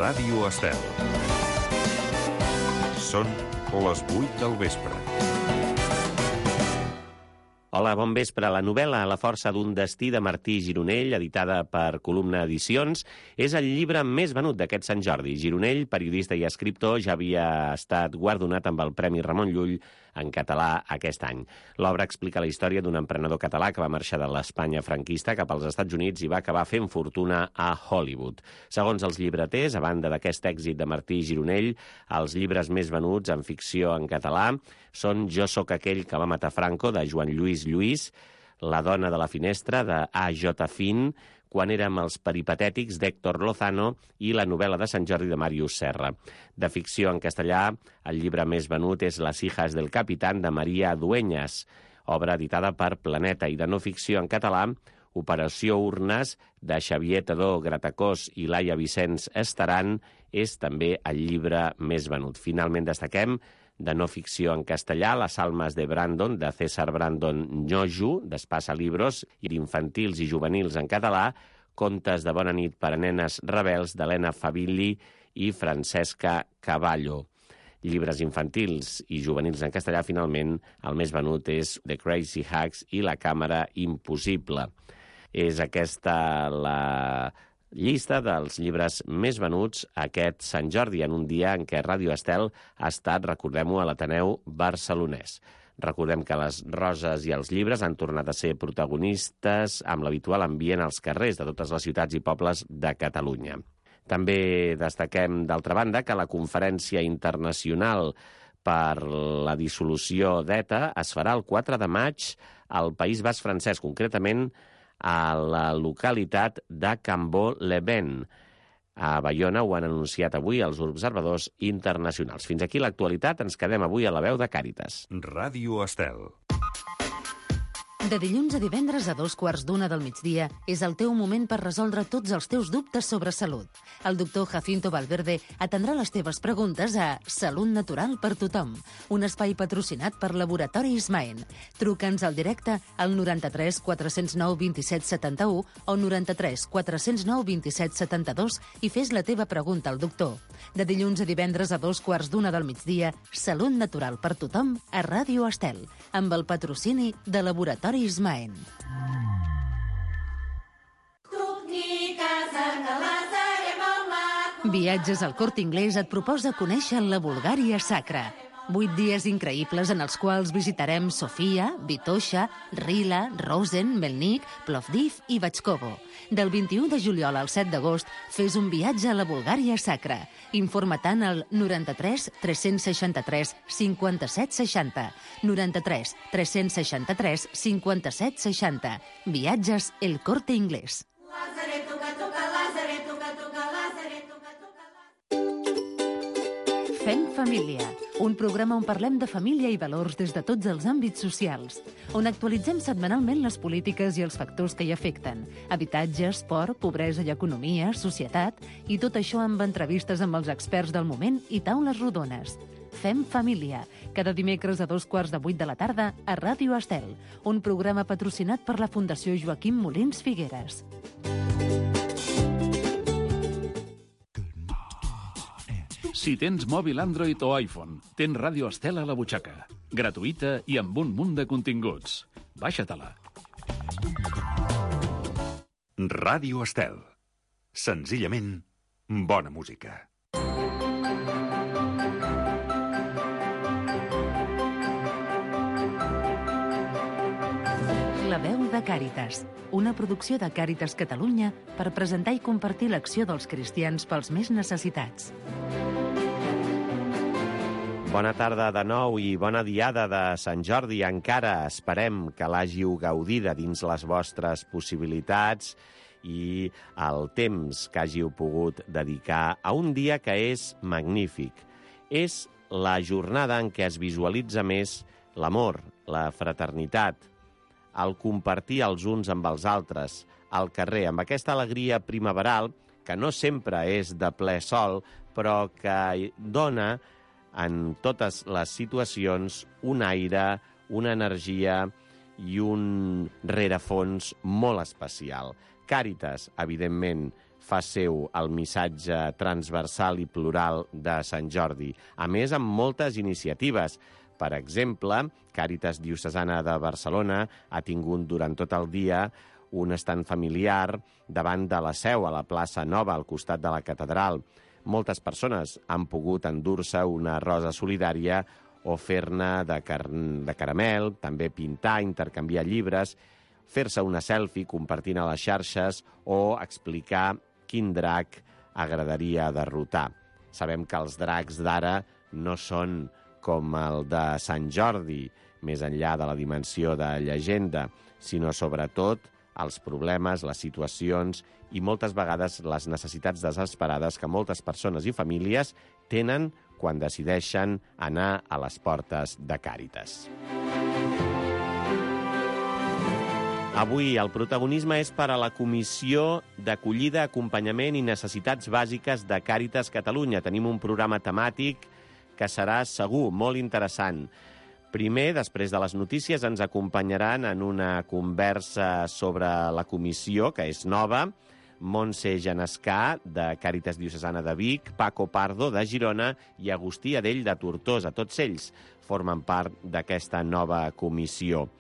Ràdio Estel. Són les 8 del vespre. Hola, bon vespre. La novel·la La força d'un destí de Martí Gironell, editada per Columna Edicions, és el llibre més venut d'aquest Sant Jordi. Gironell, periodista i escriptor, ja havia estat guardonat amb el Premi Ramon Llull en català aquest any. L'obra explica la història d'un emprenedor català que va marxar de l'Espanya franquista cap als Estats Units i va acabar fent fortuna a Hollywood. Segons els llibreters, a banda d'aquest èxit de Martí Gironell, els llibres més venuts en ficció en català són Jo sóc aquell que va matar Franco, de Joan Lluís Lluís, La dona de la finestra, de A.J. Finn, Quan érem els peripatètics, d'Héctor Lozano, i la novel·la de Sant Jordi de Màrius Serra. De ficció en castellà, el llibre més venut és Las hijas del capitán, de Maria Dueñas, obra editada per Planeta, i de no ficció en català, Operació Urnes, de Xavier Tadó Gratacós i Laia Vicenç Estaran, és també el llibre més venut. Finalment destaquem de no ficció en castellà, Las almas de Brandon, de César Brandon Ñoju, d'Espasa Libros, i d'infantils i juvenils en català, Contes de bona nit per a nenes rebels, d'Helena Favilli i Francesca Cavallo. Llibres infantils i juvenils en castellà, finalment, el més venut és The Crazy Hacks i La càmera impossible. És aquesta la llista dels llibres més venuts aquest Sant Jordi, en un dia en què Ràdio Estel ha estat, recordem-ho, a l'Ateneu barcelonès. Recordem que les roses i els llibres han tornat a ser protagonistes amb l'habitual ambient als carrers de totes les ciutats i pobles de Catalunya. També destaquem, d'altra banda, que la Conferència Internacional per la Dissolució d'ETA es farà el 4 de maig al País Basc francès, concretament a la localitat de Cambó-le-Vent. A Baiona ho han anunciat avui els observadors internacionals. Fins aquí l'actualitat. Ens quedem avui a la veu de Càritas. Ràdio Estel. De dilluns a divendres a 2:15 del migdia és el teu moment per resoldre tots els teus dubtes sobre salut. El doctor Jacinto Valverde atendrà les teves preguntes a Salut Natural per Tothom, un espai patrocinat per Laboratori Ismaen. Truca'ns al directe al 93 409 27 71 o 93 409 27 72 i fes la teva pregunta al doctor. De dilluns a divendres a 2:15 del migdia, Salut Natural per Tothom a Ràdio Estel, amb el patrocini de Laboratori Ismaen. Viatges al Corte Inglés et proposa conèixer la Bulgària sacra. 8 dies increïbles en els quals visitarem Sofia, Vitoša, Rila, Rosen, Melnik, Plovdiv i Batxkovo. Del 21 de juliol al 7 d'agost, fes un viatge a la Bulgària sacra. Informa-te'n al 93 363 57 60. 93 363 57 60. Viatges El Corte Inglés. Fem família, un programa on parlem de família i valors des de tots els àmbits socials, on actualitzem setmanalment les polítiques i els factors que hi afecten, habitatge, esport, pobresa i economia, societat, i tot això amb entrevistes amb els experts del moment i taules rodones. Fem família, cada dimecres a 7:15 de la tarda a Ràdio Estel, un programa patrocinat per la Fundació Joaquim Molins Figueres. Si tens mòbil Android o iPhone, tens Ràdio Estel a la butxaca. Gratuïta i amb un munt de continguts. Baixa-te-la. Ràdio Estel. Senzillament, bona música. La veu de Càritas, una producció de Càritas Catalunya per presentar i compartir l'acció dels cristians pels més necessitats. Bona tarda de nou i bona diada de Sant Jordi. Encara esperem que l'hàgiu gaudida dins les vostres possibilitats i el temps que hàgiu pogut dedicar a un dia que és magnífic. És la jornada en què es visualitza més l'amor, la fraternitat, el compartir els uns amb els altres, al carrer, amb aquesta alegria primaveral que no sempre és de ple sol, però que dona en totes les situacions un aire, una energia i un rerefons molt especial. Càritas, evidentment, fa seu el missatge transversal i plural de Sant Jordi, a més amb moltes iniciatives. Per exemple, Càritas Diocesana de Barcelona ha tingut durant tot el dia un estand familiar davant de la Seu, a la plaça Nova, al costat de la catedral. Moltes persones han pogut endur-se una rosa solidària o fer-ne de caramel, també pintar, intercanviar llibres, fer-se una selfie compartint a les xarxes o explicar quin drac agradaria derrotar. Sabem que els dracs d'ara no són com el de Sant Jordi, més enllà de la dimensió de llegenda, sinó sobretot els problemes, les situacions i moltes vegades les necessitats desesperades que moltes persones i famílies tenen quan decideixen anar a les portes de Càritas. Avui el protagonisme és per a la Comissió d'Acollida, Acompanyament i Necessitats Bàsiques de Càritas Catalunya. Tenim un programa temàtic que serà segur molt interessant. Primer, després de les notícies, ens acompanyaran en una conversa sobre la comissió, que és nova, Montse Genescà, de Càritas Diocesana de Vic, Paco Pardo, de Girona, i Agustí Adell, de Tortosa. Tots ells formen part d'aquesta nova comissió.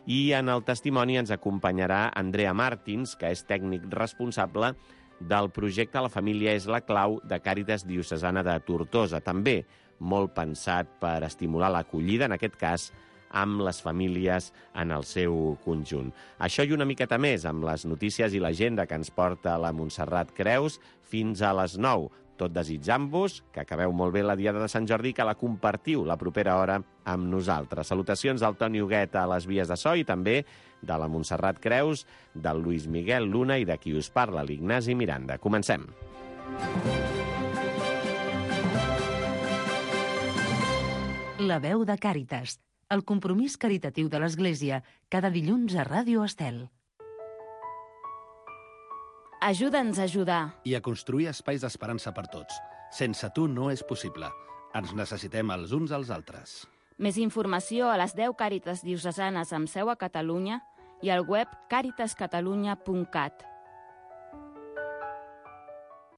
I en el testimoni ens acompanyarà Andrea Martins, que és tècnic responsable del projecte La família és la clau de Càritas Diocesana de Tortosa. També molt pensat per estimular l'acollida, en aquest cas, amb les famílies en el seu conjunt. Això i una miqueta més amb les notícies i l'agenda que ens porta la Montserrat Creus fins a les 9. Tot desitjant-vos que acabeu molt bé la Diada de Sant Jordi i que la compartiu la propera hora amb nosaltres. Salutacions del Toni Huguet a les vies de so i també de la Montserrat Creus, del Luis Miguel Luna i de qui us parla, l'Ignasi Miranda. Comencem. La veu de Càritas, el compromís caritatiu de l'Església, cada dilluns a Ràdio Estel. Ajuda'ns a ajudar. I a construir espais d'esperança per tots. Sense tu no és possible. Ens necessitem els uns als altres. Més informació a les 10 Càritas diocesanes amb seu a Catalunya i al web caritascatalunya.cat.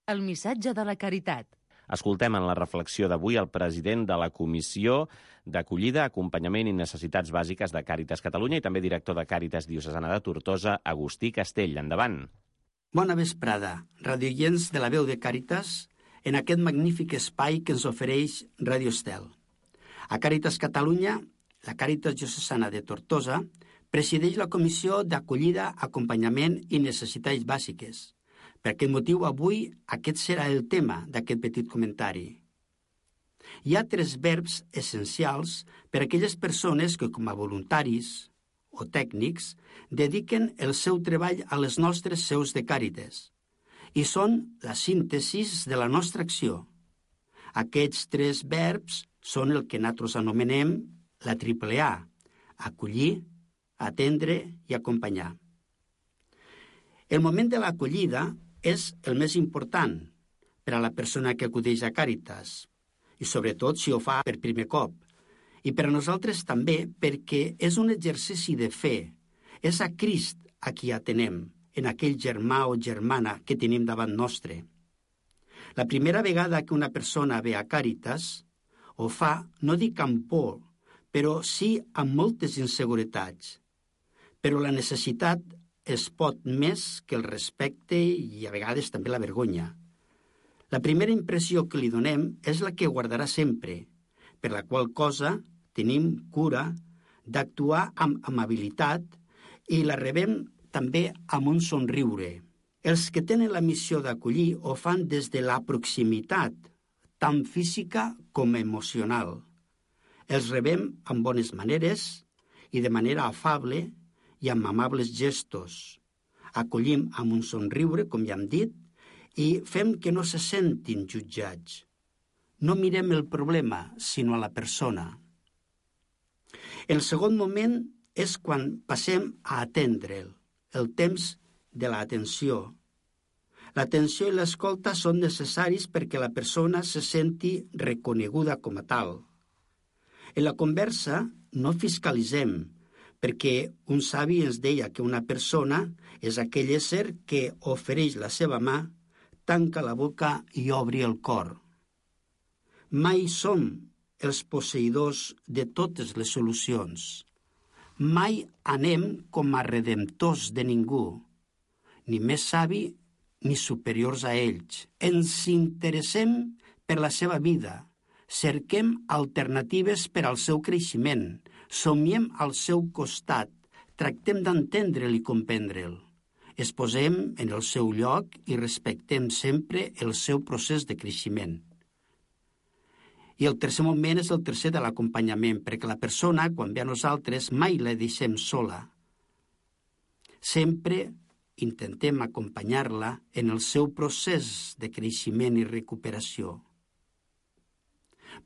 El missatge de la caritat. Escoltem en la reflexió d'avui el president de la Comissió d'Acollida, Acompanyament i Necessitats Bàsiques de Càritas Catalunya i també director de Càritas Diocesana de Tortosa, Agustí Castell. Endavant. Bona vesprada, radioients de la veu de Càritas, en aquest magnífic espai que ens ofereix Radio Estel. A Càritas Catalunya, la Càritas Diocesana de Tortosa presideix la Comissió d'Acollida, Acompanyament i Necessitats Bàsiques. Per aquest motiu, avui aquest serà el tema d'aquest petit comentari. Hi ha 3 verbs essencials per a aquelles persones que, com a voluntaris o tècnics, dediquen el seu treball a les nostres seus de Càritas i són la síntesi de la nostra acció. Aquests 3 verbs són el que nosaltres anomenem la triple A: acollir, atendre i acompanyar. El moment de l'acollida és el més important per a la persona que acudeix a Càritas, i sobretot si ho fa per primer cop. I per a nosaltres també perquè és un exercici de fe. És a Crist a qui atenem, en aquell germà o germana que tenim davant nostre. La primera vegada que una persona ve a Càritas ho fa, no dic amb por, però sí amb moltes inseguretats. Però la necessitat es pot més que el respecte i a vegades també la vergonya. La primera impressió que li donem és la que guardarà sempre, per la qual cosa tenim cura d'actuar amb amabilitat i la rebem també amb un somriure. Els que tenen la missió d'acollir ho fan des de la proximitat, tant física com emocional. Els rebem amb bones maneres i de manera afable i amb amables gestos. Acollim amb un somriure, com ja hem dit, i fem que no se sentin jutjats. No mirem el problema, sinó a la persona. El segon moment és quan passem a atendre'l, el temps de l'atenció. L'atenció i l'escolta són necessaris perquè la persona se senti reconeguda com a tal. En la conversa no fiscalitzem, perquè un savi ens deia que una persona és aquell ésser que ofereix la seva mà, tanca la boca i obri el cor. Mai som els posseïdors de totes les solucions. Mai anem com a redemptors de ningú, ni més savi ni superiors a ells. Ens interessem per la seva vida, cerquem alternatives per al seu creixement, somiem al seu costat, tractem d'entendre'l i comprendre'l. Es posem en el seu lloc i respectem sempre el seu procés de creixement. I el tercer moment és el tercer de l'acompanyament, perquè la persona, quan ve a nosaltres, mai la deixem sola. Sempre intentem acompanyar-la en el seu procés de creixement i recuperació.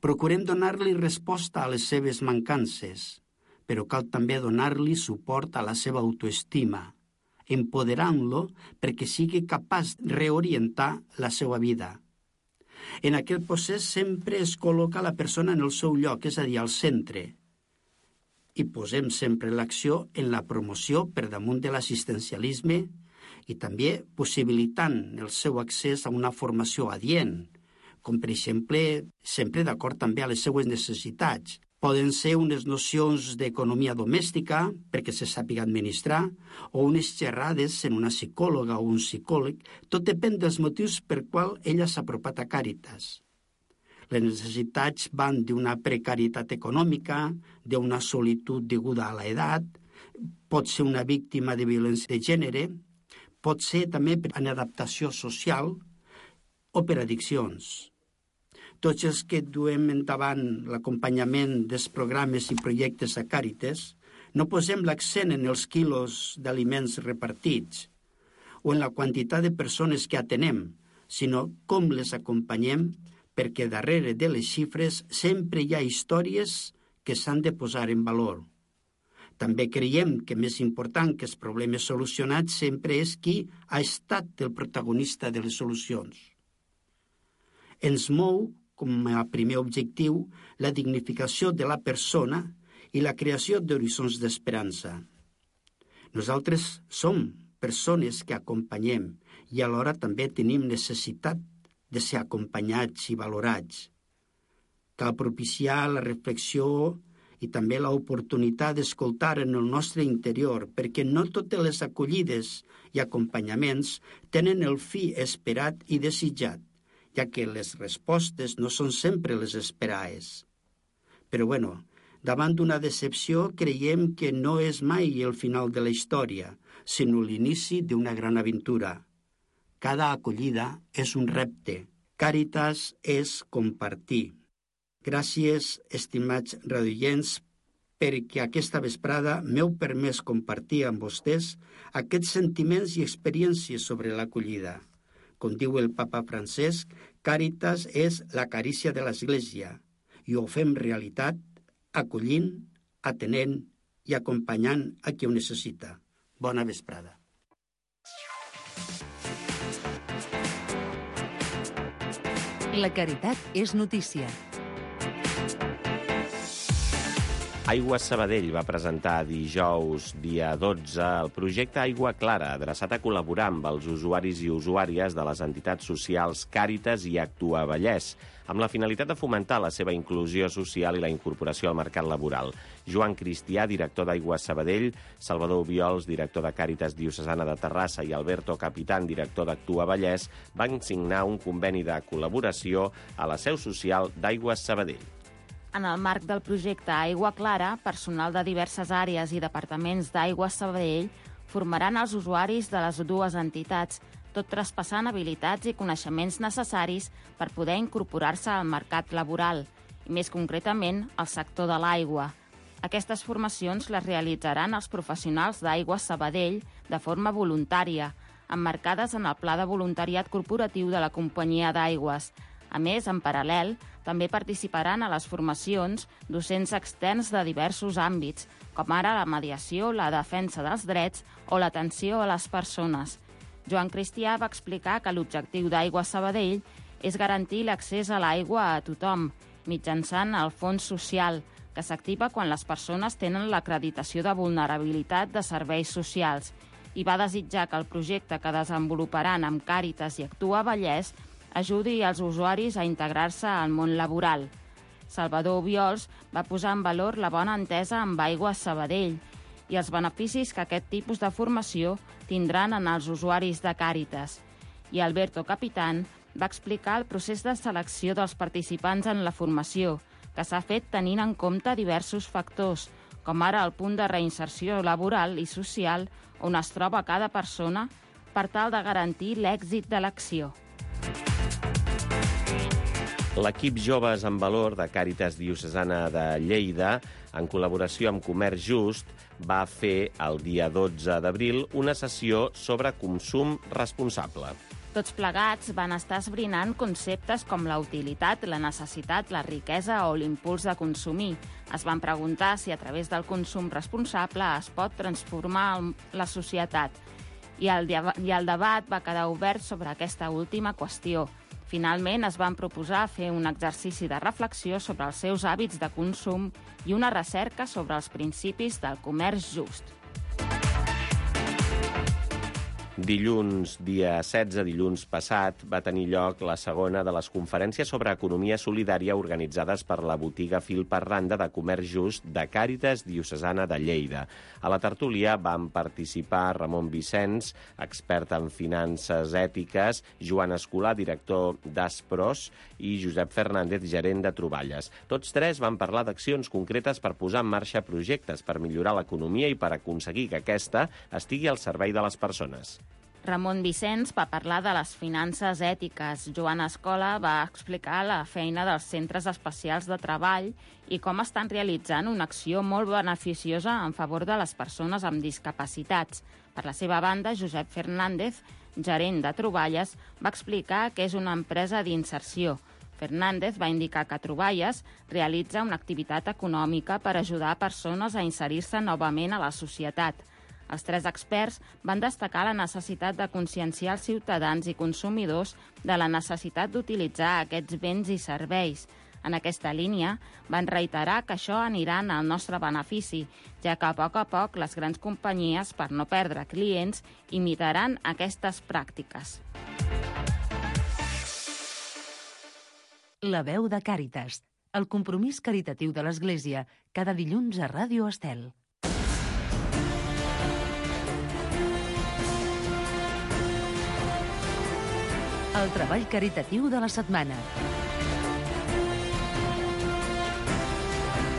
Procurem donar-li resposta a les seves mancances, però cal també donar-li suport a la seva autoestima, empoderant-lo perquè sigui capaç de reorientar la seva vida. En aquest procés sempre es col·loca la persona en el seu lloc, és a dir, al centre, i posem sempre l'acció en la promoció per damunt de l'assistencialisme i també possibilitant el seu accés a una formació adient, com per exemple, sempre d'acord també a les seues necessitats. Poden ser unes nocions d'economia domèstica, perquè se sàpiga administrar, o unes xerrades en una psicòloga o un psicòleg. Tot depèn dels motius per qual ella s'ha apropat a Càritas. Les necessitats van d'una precarietat econòmica, d'una solitud deguda a l'edat, pot ser una víctima de violència de gènere, pot ser també per inadaptació social o per addiccions. Tots els que duem endavant l'acompanyament dels programes i projectes a Càritas no posem l'accent en els quilos d'aliments repartits o en la quantitat de persones que atenem, sinó com les acompanyem, perquè darrere de les xifres sempre hi ha històries que s'han de posar en valor. També creiem que més important que els problemes solucionats sempre és qui ha estat el protagonista de les solucions. Ens mou com a primer objectiu la dignificació de la persona i la creació d'horitzons d'esperança. Nosaltres som persones que acompanyem i alhora també tenim necessitat de ser acompanyats i valorats. Cal propiciar la reflexió i també l'oportunitat d'escoltar en el nostre interior, perquè no totes les acollides i acompanyaments tenen el fi esperat i desitjat, ja que les respostes no són sempre les esperades. Però davant d'una decepció creiem que no és mai el final de la història, sinó l'inici d'una gran aventura. Cada acollida és un repte. Càritas és compartir. Gràcies, estimats radioients, perquè aquesta vesprada m'heu permès compartir amb vostès aquests sentiments i experiències sobre l'acollida. Com diu el papa Francesc, Càritas és la carícia de l'Església i ho fem realitat acollint, atenent i acompanyant a qui ho necessita. Bona vesprada. La caritat és notícia. Aigües Sabadell va presentar dijous, dia 12, el projecte Aigua Clara, adreçat a col·laborar amb els usuaris i usuàries de les entitats socials Càritas i Actua Vallès, amb la finalitat de fomentar la seva inclusió social i la incorporació al mercat laboral. Joan Cristià, director d'Aigües Sabadell, Salvador Obiols, director de Càritas Diocesana de Terrassa i Alberto Capitán, director d'Actua Vallès, van signar un conveni de col·laboració a la seu social d'Aigües Sabadell. En el marc del projecte Aigua Clara, personal de diverses àrees i departaments d'Aigües Sabadell formaran els usuaris de les dues entitats, tot traspassant habilitats i coneixements necessaris per poder incorporar-se al mercat laboral, i més concretament al sector de l'aigua. Aquestes formacions les realitzaran els professionals d'Aigües Sabadell de forma voluntària, emmarcades en el Pla de Voluntariat Corporatiu de la Companyia d'Aigües. A més, en paral·lel, també participaran a les formacions docents externs de diversos àmbits, com ara la mediació, la defensa dels drets o l'atenció a les persones. Joan Cristià va explicar que l'objectiu d'Aigües Sabadell és garantir l'accés a l'aigua a tothom, mitjançant el fons social, que s'activa quan les persones tenen l'acreditació de vulnerabilitat de serveis socials i va desitjar que el projecte que desenvoluparan amb Càritas i Actua Vallès ajudi als usuaris a integrar-se al món laboral. Salvador Obiols va posar en valor la bona entesa amb Aigües Sabadell i els beneficis que aquest tipus de formació tindran en els usuaris de Càritas. I Alberto Capitán va explicar el procés de selecció dels participants en la formació, que s'ha fet tenint en compte diversos factors, com ara el punt de reinserció laboral i social on es troba cada persona per tal de garantir l'èxit de l'acció. L'equip Joves en Valor de Càritas Diocesana de Lleida, en col·laboració amb Comerç Just, va fer el dia 12 d'abril una sessió sobre consum responsable. Tots plegats van estar esbrinant conceptes com la utilitat, la necessitat, la riquesa o l'impuls de consumir. Es van preguntar si a través del consum responsable es pot transformar la societat. I el debat va quedar obert sobre aquesta última qüestió. Finalment, es van proposar fer un exercici de reflexió sobre els seus hàbits de consum i una recerca sobre els principis del comerç just. Dilluns, dia 16, dilluns passat, va tenir lloc la segona de les conferències sobre economia solidària organitzades per la botiga Fil per Randa de Comerç Just de Càritas Diocesana de Lleida. A la tertúlia van participar Ramon Vicenç, expert en finances ètiques, Joan Escolà, director d'Aspros, i Josep Fernández, gerent de Troballes. Tots tres van parlar d'accions concretes per posar en marxa projectes per millorar l'economia i per aconseguir que aquesta estigui al servei de les persones. Ramon Vicenç va parlar de les finances ètiques. Joan Escola va explicar la feina dels centres especials de treball i com estan realitzant una acció molt beneficiosa en favor de les persones amb discapacitats. Per la seva banda, Josep Fernández, gerent de Troballes, va explicar que és una empresa d'inserció. Fernández va indicar que Troballes realitza una activitat econòmica per ajudar persones a inserir-se novament a la societat. Els tres experts van destacar la necessitat de conscienciar els ciutadans i consumidors de la necessitat d'utilitzar aquests béns i serveis. En aquesta línia, van reiterar que això anirà en el nostre benefici, ja que a poc les grans companyies, per no perdre clients, imitaran aquestes pràctiques. La veu de Càritas, el compromís caritatiu de l'Església, cada dilluns a Ràdio Estel. El treball caritatiu de la setmana.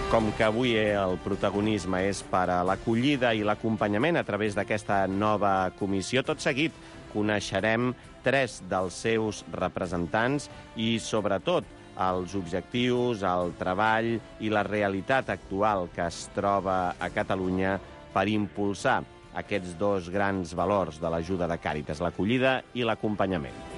Com que avui el protagonisme és per a l'acollida i l'acompanyament a través d'aquesta nova comissió, tot seguit coneixerem 3 dels seus representants i, sobretot, els objectius, el treball i la realitat actual que es troba a Catalunya per impulsar aquests 2 grans valors de l'ajuda de Càritas, l'acollida i l'acompanyament.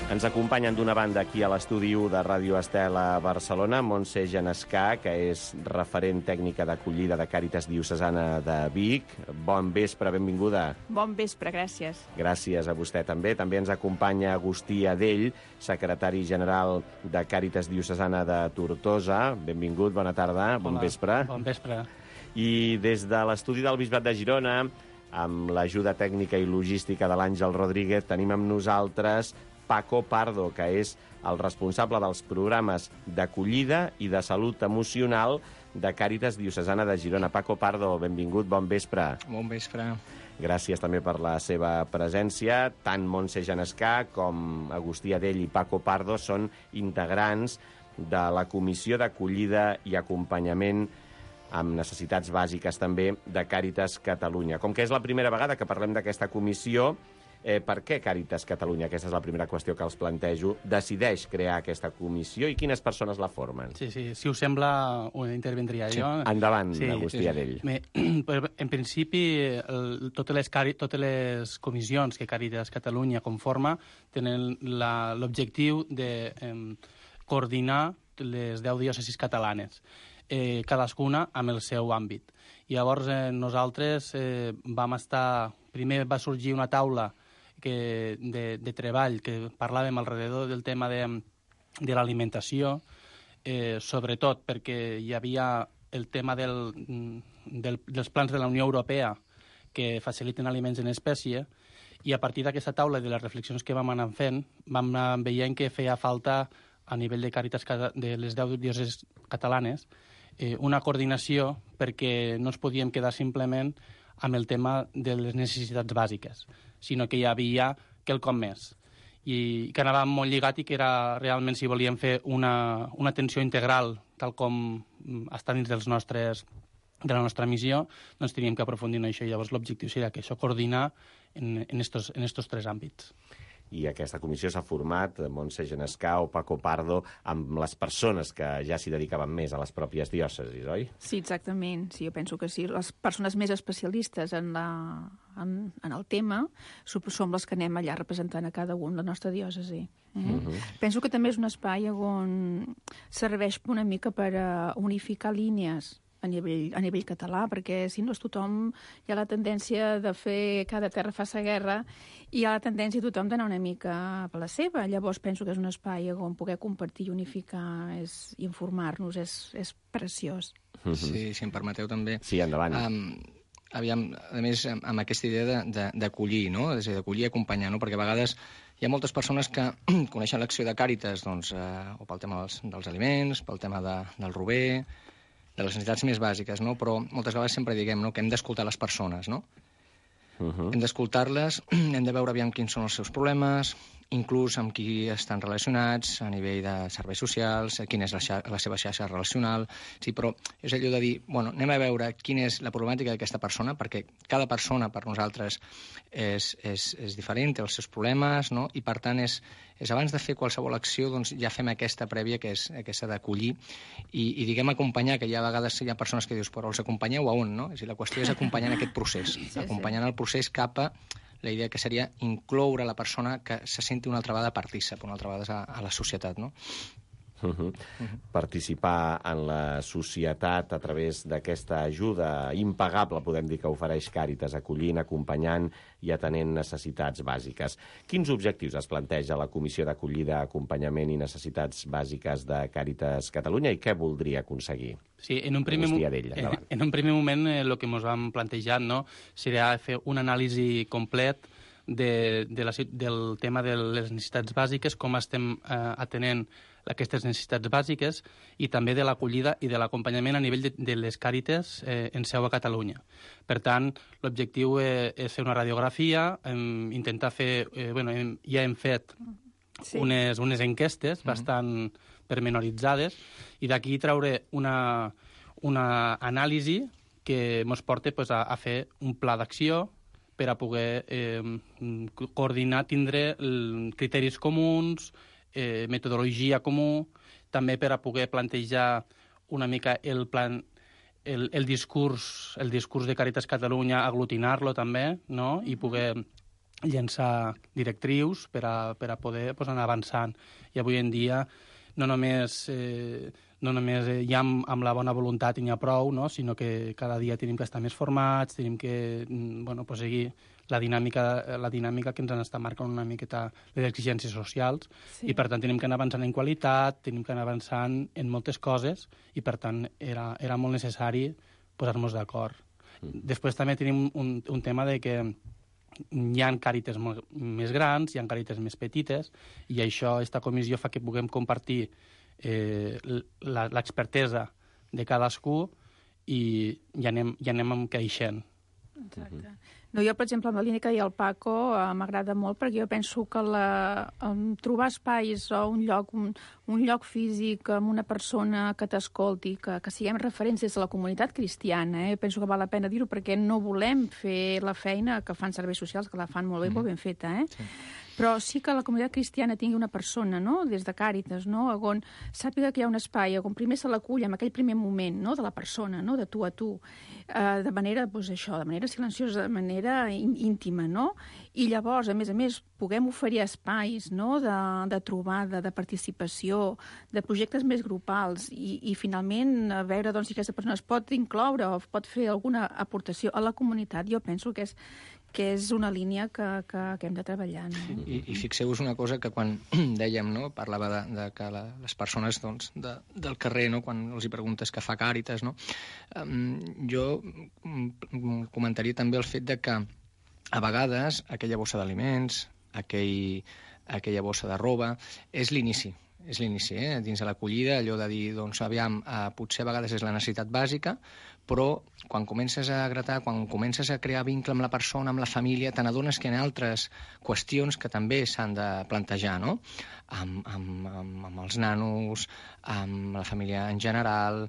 Ens acompanyen d'una banda aquí a l'estudi 1 de Ràdio Estel a Barcelona, Montse Genescà, que és referent tècnica d'acollida de Càritas Diocesana de Vic. Bon vespre, benvinguda. Bon vespre, gràcies. Gràcies a vostè també. També ens acompanya Agustí Adell, secretari general de Càritas Diocesana de Tortosa. Benvingut, bona tarda, bon vespre. Bon vespre. I des de l'estudi del Bisbat de Girona, amb l'ajuda tècnica i logística de l'Àngel Rodríguez, tenim amb nosaltres Paco Pardo, que és el responsable dels programes d'acollida i de salut emocional de Càritas Diocesana de Girona. Paco Pardo, benvingut, bon vespre. Bon vespre. Gràcies també per la seva presència. Tant Montse Genescà com Agustí Adell i Paco Pardo són integrants de la Comissió d'Acollida i Acompanyament amb necessitats bàsiques també de Càritas Catalunya. Com que és la primera vegada que parlem d'aquesta comissió, per què Càritas Catalunya, aquesta és la primera qüestió que els plantejo, decideix crear aquesta comissió i quines persones la formen? Sí, si us sembla, ho intervendria jo. Endavant, Agustí Adell. En principi, totes les comissions que Càritas Catalunya conforma tenen l'objectiu de coordinar les 10 diòcesis catalanes, cadascuna amb el seu àmbit. Llavors, nosaltres vam estar... Primer va sorgir una taula de treball que parlàvem alrededor del tema de l'alimentació sobretot perquè hi havia el tema dels plans de la Unió Europea que faciliten aliments en espècie, i a partir d'aquesta taula i de les reflexions que vam anar fent, vam anar veient que feia falta, a nivell de Càritas de les 10 diòcesis catalanes, una coordinació, perquè no ens podíem quedar simplement amb el tema de les necessitats bàsiques, sinó que hi havia quelcom més. I que anava molt lligat i que era realment, si volíem fer una atenció integral, tal com està dins de la nostra missió, doncs teníem que aprofundir en això. I llavors l'objectiu seria que això coordinar en estos tres àmbits. I aquesta comissió s'ha format, Montse Genescau, Paco Pardo, amb les persones que ja s'hi dedicaven més a les pròpies diòcesis, oi? Sí, exactament. Sí, jo penso que sí. Les persones més especialistes en el tema som les que anem allà representant a cada un la nostra diòcesi. Penso que també és un espai on serveix una mica per unificar línies a nivell català, perquè si no tothom hi ha la tendència de fer cada terra fa sa guerra i hi ha la tendència tothom d'anar una mica per la seva. Llavors penso que és un espai on poder compartir, unificar i informar-nos és preciós. Sí, si em permeteu també. Sí, endavant. Aviam, a més, amb aquesta idea d'acollir, no? És a dir, d'acollir i acompanyar, no? Perquè a vegades hi ha moltes persones que coneixen l'acció de Càritas, doncs, o pel tema dels aliments, pel tema del rober, de les necessitats més bàsiques, no? Però moltes vegades sempre diguem, no?, que hem d'escoltar les persones, no? Hem d'escoltar-les, hem de veure aviam quins són els seus problemes, inclús amb qui estan relacionats a nivell de serveis socials, quina és la seva xarxa relacional. Sí, però és allò de dir, bueno, anem a veure quina és la problemàtica d'aquesta persona, perquè cada persona per nosaltres és diferent, té els seus problemes, no? I per tant és abans de fer qualsevol acció, doncs ja fem aquesta prèvia, que és aquesta d'acollir i diguem acompanyar, que ja a vegades hi ha persones que dius, però els acompanyeu a on, no? És a dir, la qüestió és acompanyar en aquest procés, acompanyant el procés cap a la idea que seria incloure la persona que se senti una altra vegada partícip, una altra vegada a la societat, no? Participar en la societat a través d'aquesta ajuda impagable, podem dir, que ofereix Càritas, acollint, acompanyant i atenent necessitats bàsiques. Quins objectius es planteja la Comissió d'Acollida, Acompanyament i Necessitats Bàsiques de Càritas Catalunya i què voldria aconseguir? Sí, en un primer moment el que ens vam plantejar, no, seria fer un anàlisi complet del tema de les necessitats bàsiques, com estem atenent aquestes necessitats bàsiques i també de l'acollida i de l'acompanyament a nivell de les Càritas en seu a Catalunya. Per tant, l'objectiu és fer una radiografia, intentar fer... ja hem fet unes enquestes bastant pormenoritzades i d'aquí traure una anàlisi que ens porta a fer un pla d'acció per a poder coordinar, tindre criteris comuns, metodologia comú, també per a poder plantejar una mica el discurs de Càritas Catalunya, aglutinar-lo també, no? I poder llançar directrius per a poder anar avançant. I avui en dia no només hi ha amb la bona voluntat i n'hi ha prou, no? Sinó que cada dia tenim que estar més formats, tenim que seguir la dinàmica que ens han estat marcant una miqueta les exigències socials i per tant tenim que anar avançant en qualitat, tenim que anar avançant en moltes coses i per tant era molt necessari posar-nos d'acord. Després també tenim un tema de que hi ha Càritas més grans, hi ha Càritas més petites i això, aquesta comissió fa que puguem compartir l'expertesa de cadascú i anem encaixant. Exacte. No, jo, per exemple, amb la línia que deia el Paco, m'agrada molt perquè jo penso que trobar espais o un lloc físic amb una persona que t'escolti, que siguem referents des de la comunitat cristiana, penso que val la pena dir-ho perquè no volem fer la feina que fan serveis socials, que la fan molt bé, molt ben feta, Sí. Però sí que la comunitat cristiana tingui una persona, no?, des de Càritas, no?, on sàpiga que hi ha un espai, on primer se l'acull en aquell primer moment, no?, de la persona, no?, de tu a tu, de manera, de manera silenciosa, de manera íntima, no?, i llavors, a més, puguem oferir espais, no?, de trobada, de participació, de projectes més grupals i finalment, a veure, doncs, si aquesta persona es pot incloure o pot fer alguna aportació a la comunitat, jo penso que és una línia que hem de treballar. No? I fixeu-vos una cosa que quan dèiem, no, parlava de que les persones doncs, del carrer, no, quan els hi preguntes què fa Càritas, no, jo comentaria també el fet de que a vegades aquella bossa d'aliments, aquella bossa de roba, és l'inici, dins de l'acollida, allò de dir, doncs, aviam, potser a vegades és la necessitat bàsica, però quan comences a gratar, quan comences a crear vincle amb la persona, amb la família, te n'adones que hi ha altres qüestions que també s'han de plantejar, no? Amb els nanos, amb la família en general,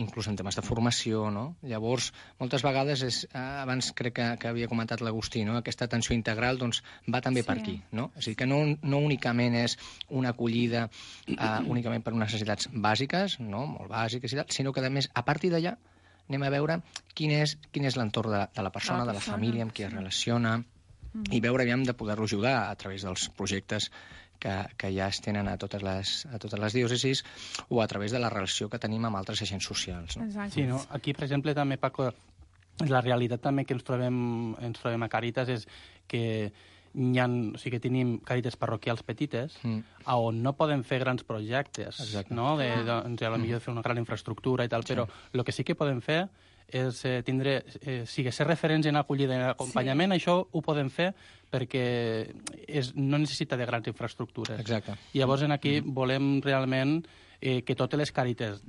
inclús en temes de formació, no? Llavors, moltes vegades, abans crec que havia comentat l'Agustí, no? Aquesta atenció integral doncs, va també per aquí, no? És a dir, que no únicament és una acollida únicament per unes necessitats bàsiques, no? Molt bàsiques i tal, sinó que, a més, a partir d'allà, anem a veure quin és l'entorn de la persona, de la família, amb qui es relaciona, i veure, aviam, de poder-lo ajudar a través dels projectes que ja es tenen a totes les diòcesis o a través de la relació que tenim amb altres agents socials. No? Sí, no? Aquí, per exemple, també, Paco, la realitat també que ens trobem a Càritas és que o sigui que tenim càritas parroquials petites on no podem fer grans projectes, no? Potser fer una gran infraestructura i tal, però el que sí que podem fer és tindre, ser referents en acollida i en acompanyament, això ho podem fer perquè no necessita de grans infraestructures. Exacte. I llavors aquí volem realment que totes les càritas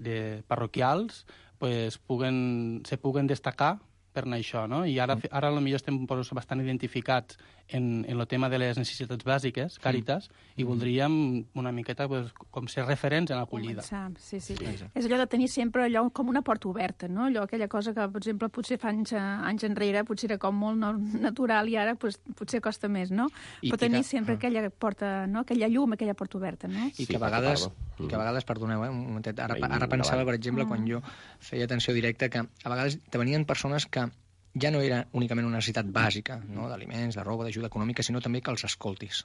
parroquials se puguen destacar per anar això, no? I ara potser estem bastant identificats en el tema de les necessitats bàsiques, Càritas, i voldríem una miqueta com ser referents en l'acollida. Sí. És allò de tenir sempre allò com una porta oberta, no? Aquella cosa que, per exemple, potser fa anys enrere potser era com molt natural i ara potser costa més, no? Però tenir sempre aquella porta, no? Aquella llum, aquella porta oberta, no? I que a vegades, perdoneu, un momentet, ara pensava, per exemple, quan jo feia atenció directa, que a vegades te venien persones que ja no era únicament una necessitat bàsica, no? D'aliments, de roba, d'ajuda econòmica, sinó també que els escoltis.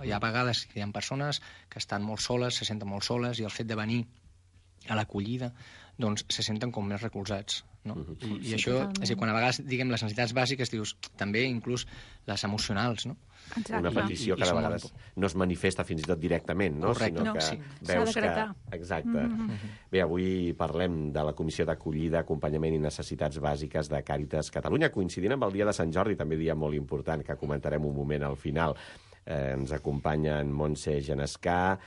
Hi ha vegades que hi ha persones que estan molt soles, se senten molt soles, i el fet de venir a l'acollida doncs se senten com més recolzats. No? I això, és a dir, quan a vegades diguem les necessitats bàsiques, dius també inclús les emocionals, no? Exacte. Una petició que de vegades no es manifesta fins i tot directament, no? Correcte. Sinó que veus que... Exacte. Bé, avui parlem de la Comissió d'Acollida, Acompanyament i Necessitats Bàsiques de Càritas Catalunya, coincidint amb el dia de Sant Jordi, també dia molt important, que comentarem un moment al final. Ens acompanya en Montse Genescà,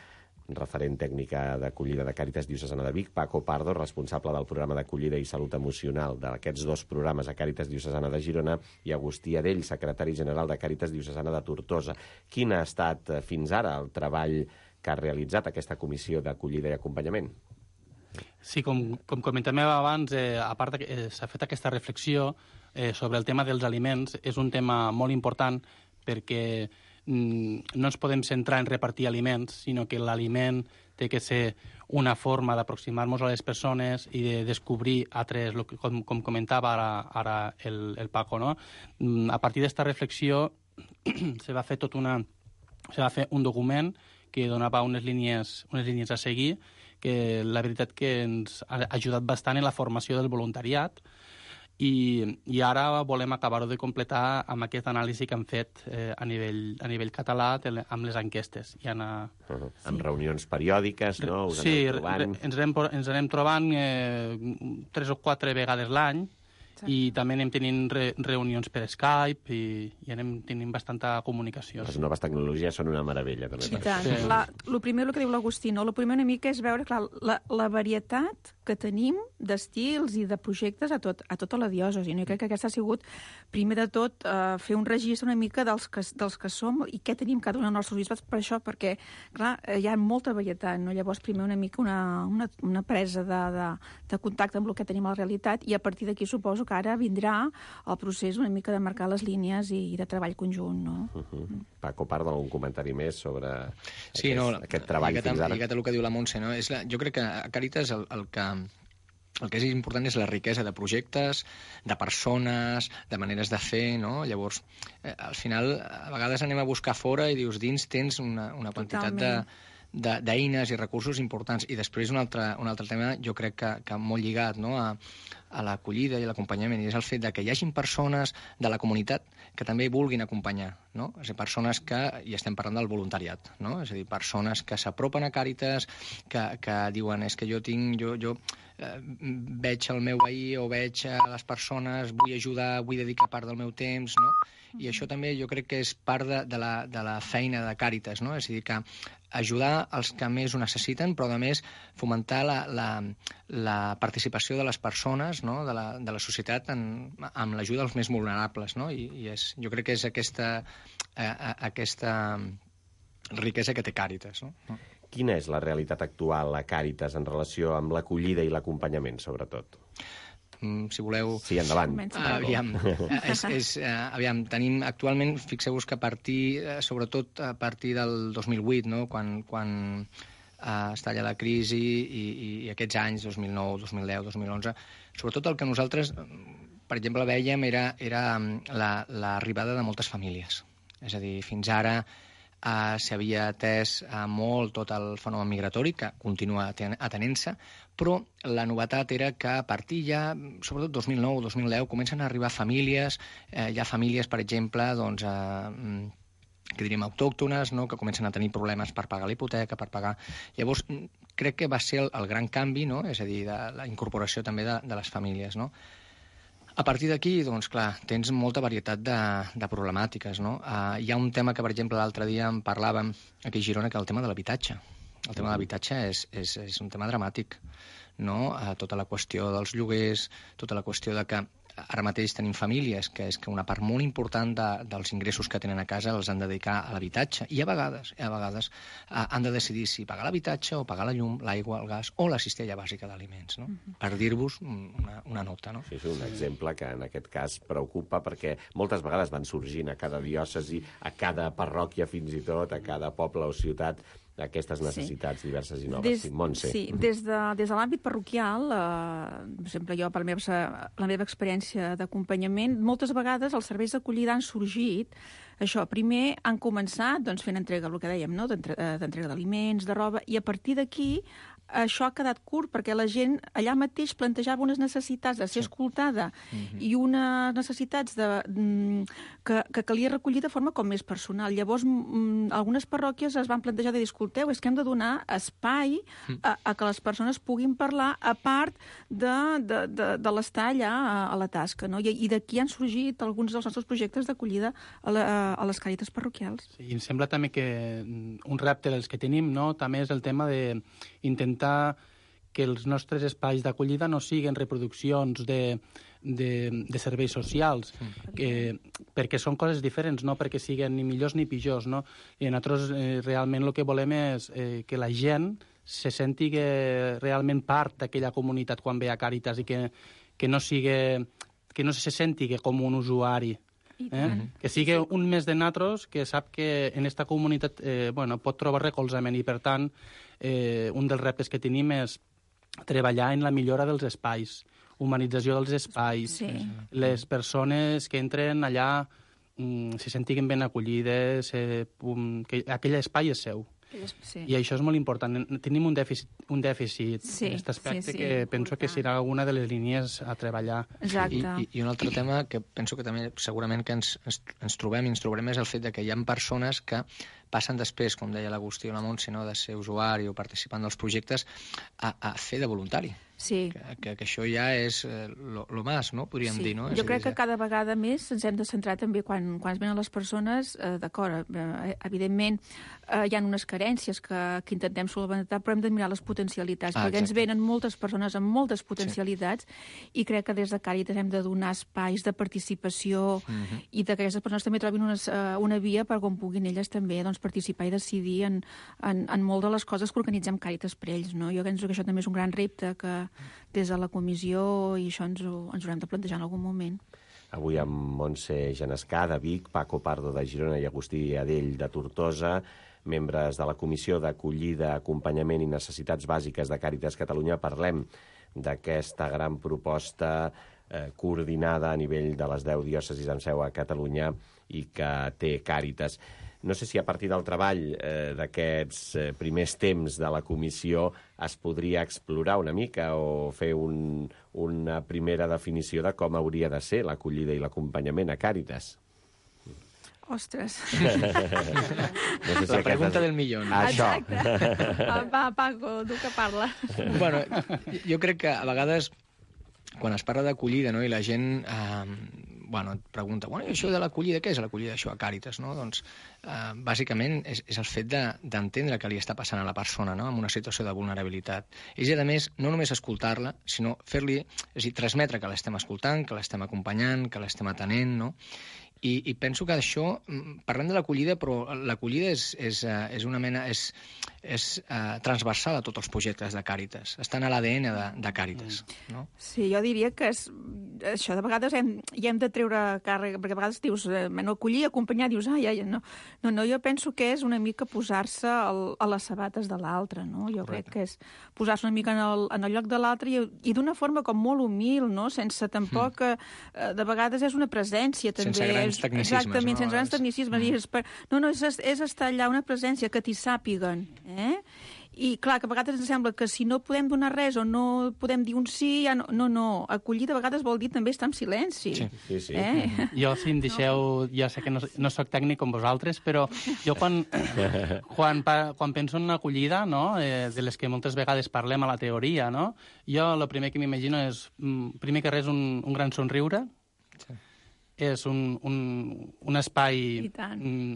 referent tècnica d'acollida de Càritas Diocesana de Vic, Paco Pardo, responsable del programa d'acollida i salut emocional d'aquests dos programes a Càritas Diocesana de Girona, i Agustí Adell, secretari general de Càritas Diocesana de Tortosa. Quin ha estat fins ara el treball que ha realitzat aquesta comissió d'acollida i acompanyament? Sí, com comentàvem abans, a part que s'ha fet aquesta reflexió sobre el tema dels aliments, és un tema molt important perquè no ens podem centrar en repartir aliments, sinó que l'aliment té que ser una forma d'aproximar-nos a les persones i de descobrir altres, com comentava ara el Paco, no? A partir d'esta reflexió se va fer un document que donava unes línies a seguir, que la veritat que ens ha ajudat bastant en la formació del voluntariat, i ara volem acabar-ho de completar amb aquest anàlisi que hem fet a nivell català amb les enquestes. Amb reunions periòdiques, no? Sí, ens anem trobant 3 o 4 vegades l'any, i també anem tenint reunions per Skype i anem tenint bastanta comunicació. Les noves tecnologies són una meravella, també. Sí, tant. El primer, el que diu l'Agustí, no? El primer una mica és veure, clar, la varietat que tenim d'estils i de projectes a tota la diòcesi. Jo crec que aquesta ha sigut, primer de tot, fer un registre una mica dels que som i què tenim cada un dels nostres bisbats, per això, perquè, clar, hi ha molta varietat, no? Llavors, primer una mica una presa de contacte amb el que tenim a la realitat, i a partir d'aquí suposo que ara vindrà el procés una mica de marcar les línies i de treball conjunt, no? Paco, part d'algun comentari més sobre aquest treball fins ara? Lligat a el que diu la Montse, no? Jo crec que a Càritas el que és important és la riquesa de projectes, de persones, de maneres de fer, no? Llavors, al final, a vegades anem a buscar fora i dius, dins tens una quantitat d'eines i recursos importants. I després un altre tema, jo crec que molt lligat, no? l'acollida i l'acompanyament, i és el fet de que hi hagin persones de la comunitat que també vulguin acompanyar, no? És a dir, persones que, i estem parlant del voluntariat, no? És a dir, persones que s'apropen a Càritas, que diuen, és que jo veig el meu veí o veig les persones, vull ajudar, vull dedicar part del meu temps, no? I això també jo crec que és part de la feina de Càritas, no? És a dir, que ajudar els que més ho necessiten, però a més fomentar la participació de les persones, no? de la societat amb l'ajuda dels més vulnerables, no? I jo crec que és aquesta riquesa que té Càritas, no? Quina és la realitat actual a Càritas en relació amb l'acollida i l'acompanyament, sobretot? Si voleu... Sí, endavant. Aviam, tenim actualment, fixeu-vos que sobretot a partir del 2008, no? Quan es talla la crisi i aquests anys, 2009, 2010, 2011, sobretot el que nosaltres, per exemple, veiem era l'arribada de moltes famílies. És a dir, fins ara s'havia atès molt tot el fenomen migratori, que continua atenent-se, però la novetat era que a partir ja, sobretot 2009 o 2010, comencen a arribar famílies, hi ha famílies, per exemple, doncs, que diríem autòctones, no? Que comencen a tenir problemes per pagar la hipoteca, per pagar... Llavors, crec que va ser el gran canvi, no? És a dir, de la incorporació també de les famílies, no? A partir d'aquí, doncs, clar, tens molta varietat de problemàtiques, no? Hi ha un tema que, per exemple, l'altre dia en parlàvem aquí a Girona, que és el tema de l'habitatge. El tema de l'habitatge és un tema dramàtic, no? Tota la qüestió dels lloguers, tota la qüestió de que ara mateix tenim famílies que és que una part molt important dels ingressos que tenen a casa els han de dedicar a l'habitatge, i a vegades han de decidir si pagar l'habitatge o pagar la llum, l'aigua, el gas o la cistella bàsica d'aliments, no? Per dir-vos una nota, no? Sí, és un exemple que en aquest cas preocupa, perquè moltes vegades van sorgint a cada diòcesi, a cada parròquia fins i tot, a cada poble o ciutat, aquestes necessitats diverses i noves. Montse. Sí, des de l'àmbit parroquial, per exemple, jo, per la meva experiència d'acompanyament, moltes vegades els serveis d'acollida han sorgit, això, primer han començat doncs, fent entrega, el que dèiem, no? D'entrega d'aliments, de roba, i a partir d'aquí això ha quedat curt, perquè la gent allà mateix plantejava unes necessitats de ser escoltada i unes necessitats que calia recollir de forma com més personal. Llavors, algunes parròquies es van plantejar de dir, escolteu, és que hem de donar espai a que les persones puguin parlar, a part de l'estar allà a la tasca, no? I d'aquí han sorgit alguns dels nostres projectes d'acollida a les càritas parroquials. Sí, i em sembla també que un repte dels que tenim, no?, també és el tema d'intentar que els nostres espais d'acollida no siguin reproduccions de serveis socials, perquè són coses diferents, no perquè siguin ni millors ni pitjors, no? I nosaltres realment el que volem és que la gent se senti realment part d'aquella comunitat quan ve a Càritas i que no se senti com un usuari. Que sigui un més de nosaltres que sap que en aquesta comunitat pot trobar recolzament, i per tant un dels reptes que tenim és treballar en la millora dels espais, humanització dels espais, les persones que entren allà se sentin ben acollides, que aquell espai és seu. Sí. I això és molt important. Tenim un dèficit en aquest aspecte que penso que serà una de les línies a treballar. Exacte. I un altre tema que penso que també segurament que ens trobem és el fet que hi ha persones que passen després, com deia l'Agustí o la Montse, no, de ser usuari o participant dels projectes, a fer de voluntari. Sí. Que això ja és lo más, no? Podríem dir, no? Jo crec que cada vegada més ens hem de centrar també quan es venen les persones, d'acord, evidentment hi ha unes carències que intentem solventar, però hem de mirar les potencialitats, perquè ens venen moltes persones amb moltes potencialitats i crec que des de Càritas hem de donar espais de participació i que aquestes persones també trobin una via per on puguin elles també participar i decidir en molt de les coses que organitzem Càritas per ells, no? Jo penso que això també és un gran repte que des de la comissió i això ens haurem de plantejar en algun moment. Avui amb Montse Genescà, de Vic, Paco Pardo, de Girona, i Agustí Adell, de Tortosa, membres de la Comissió d'Acollida, Acompanyament i Necessitats Bàsiques de Càritas Catalunya, parlem d'aquesta gran proposta coordinada a nivell de les 10 diòcesis amb seu a Catalunya i que té Càritas. No sé si a partir del treball d'aquests primers temps de la comissió es podria explorar una mica o fer una primera definició de com hauria de ser l'acollida i l'acompanyament a Càritas. Ostres. No sé si La pregunta del millón. Això. Exacte. Va, Paco, tu que parla. Bueno, jo crec que a vegades quan es parla d'acollida, no?, i la gent et pregunta, i això de l'acollida, què és l'acollida d'això a Càritas? No? Doncs, bàsicament, és el fet d'entendre què li està passant a la persona, no?, en una situació de vulnerabilitat. I, a més, no només escoltar-la, sinó fer-li, és a dir, transmetre que l'estem escoltant, que l'estem acompanyant, que l'estem atenent, no? I penso que això, parlem de l'acollida, però l'acollida és una mena, és transversal a tots els projectes de Càritas. Estan a l'ADN de Càritas. No? Sí, jo diria que això de vegades hi hem de treure càrrega, perquè a vegades dius, acollir, acompanyar, dius, no, jo penso que és una mica posar-se a les sabates de l'altre, no? Jo crec que és posar-se una mica en el lloc de l'altre i d'una forma com molt humil, no? Sense tampoc, de vegades és una presència, també. Sense grans tecnicismes. Exactament, sense grans tecnicismes. És estar allà, una presència que t'hi sàpiguen, I, clar, que a vegades ens sembla que si no podem donar res o no podem dir un sí, ja no. Acollir de vegades vol dir també estar en silenci. Sí. Jo, si em deixeu... Jo sé que no soc tècnic com vosaltres, però jo quan penso en una acollida, no?, de les que moltes vegades parlem a la teoria, no?, jo el primer que m'imagino és, primer que res, un gran somriure. Sí. És un espai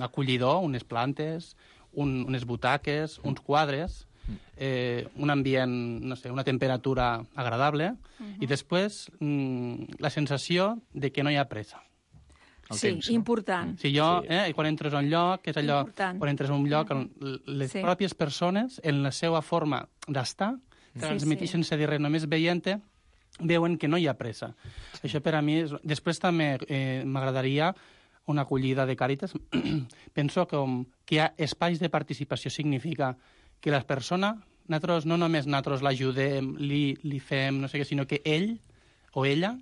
acollidor, unes plantes, unes butaques, uns quadres, un ambient, no sé, una temperatura agradable, i després la sensació de que no hi ha pressa. Important. Sí, quan entres a un lloc, és allò, quan entres a un lloc, les pròpies persones, en la seva forma d'estar, transmeteixen sense dir res, només veient-te, veuen que no hi ha pressa. Això per a mi és... Després també m'agradaria una acollida de Càritas. Penso que hi ha espais de participació significa que la persona, no només nosaltres l'ajudem, li fem, no sé què, sinó que ell o ella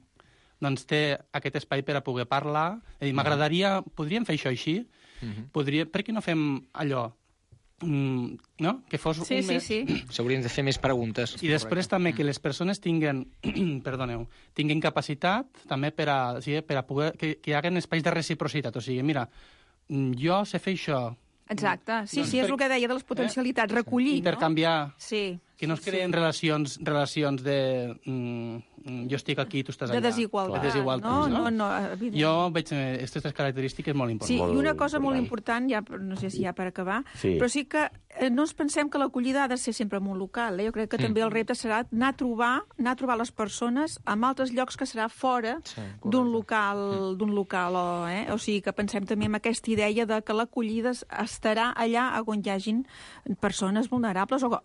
doncs té aquest espai per a poder parlar. M'agradaria... Podríem fer això així? Per què no fem allò? No? Que fos Sí. S'haurien de fer més preguntes. I després també que les persones tinguin capacitat també per a poder... Que hi hagi espais de reciprocitat. O sigui, mira, jo sé fer això. Exacte. Sí, és el que deia de les potencialitats. Recollir, intercanviar. Sí. Que no es creen relacions de... jo estic aquí, tu estàs allà. De desigualtat. No, evident. Jo veig aquestes característiques molt importants. Sí, i una cosa molt important, no sé si ja per acabar, però sí que no ens pensem que l'acollida ha de ser sempre en un local. Jo crec que també el repte serà anar a trobar les persones en altres llocs que serà fora d'un local. O sigui, que pensem també en aquesta idea de que l'acollida estarà allà on hi hagin persones vulnerables o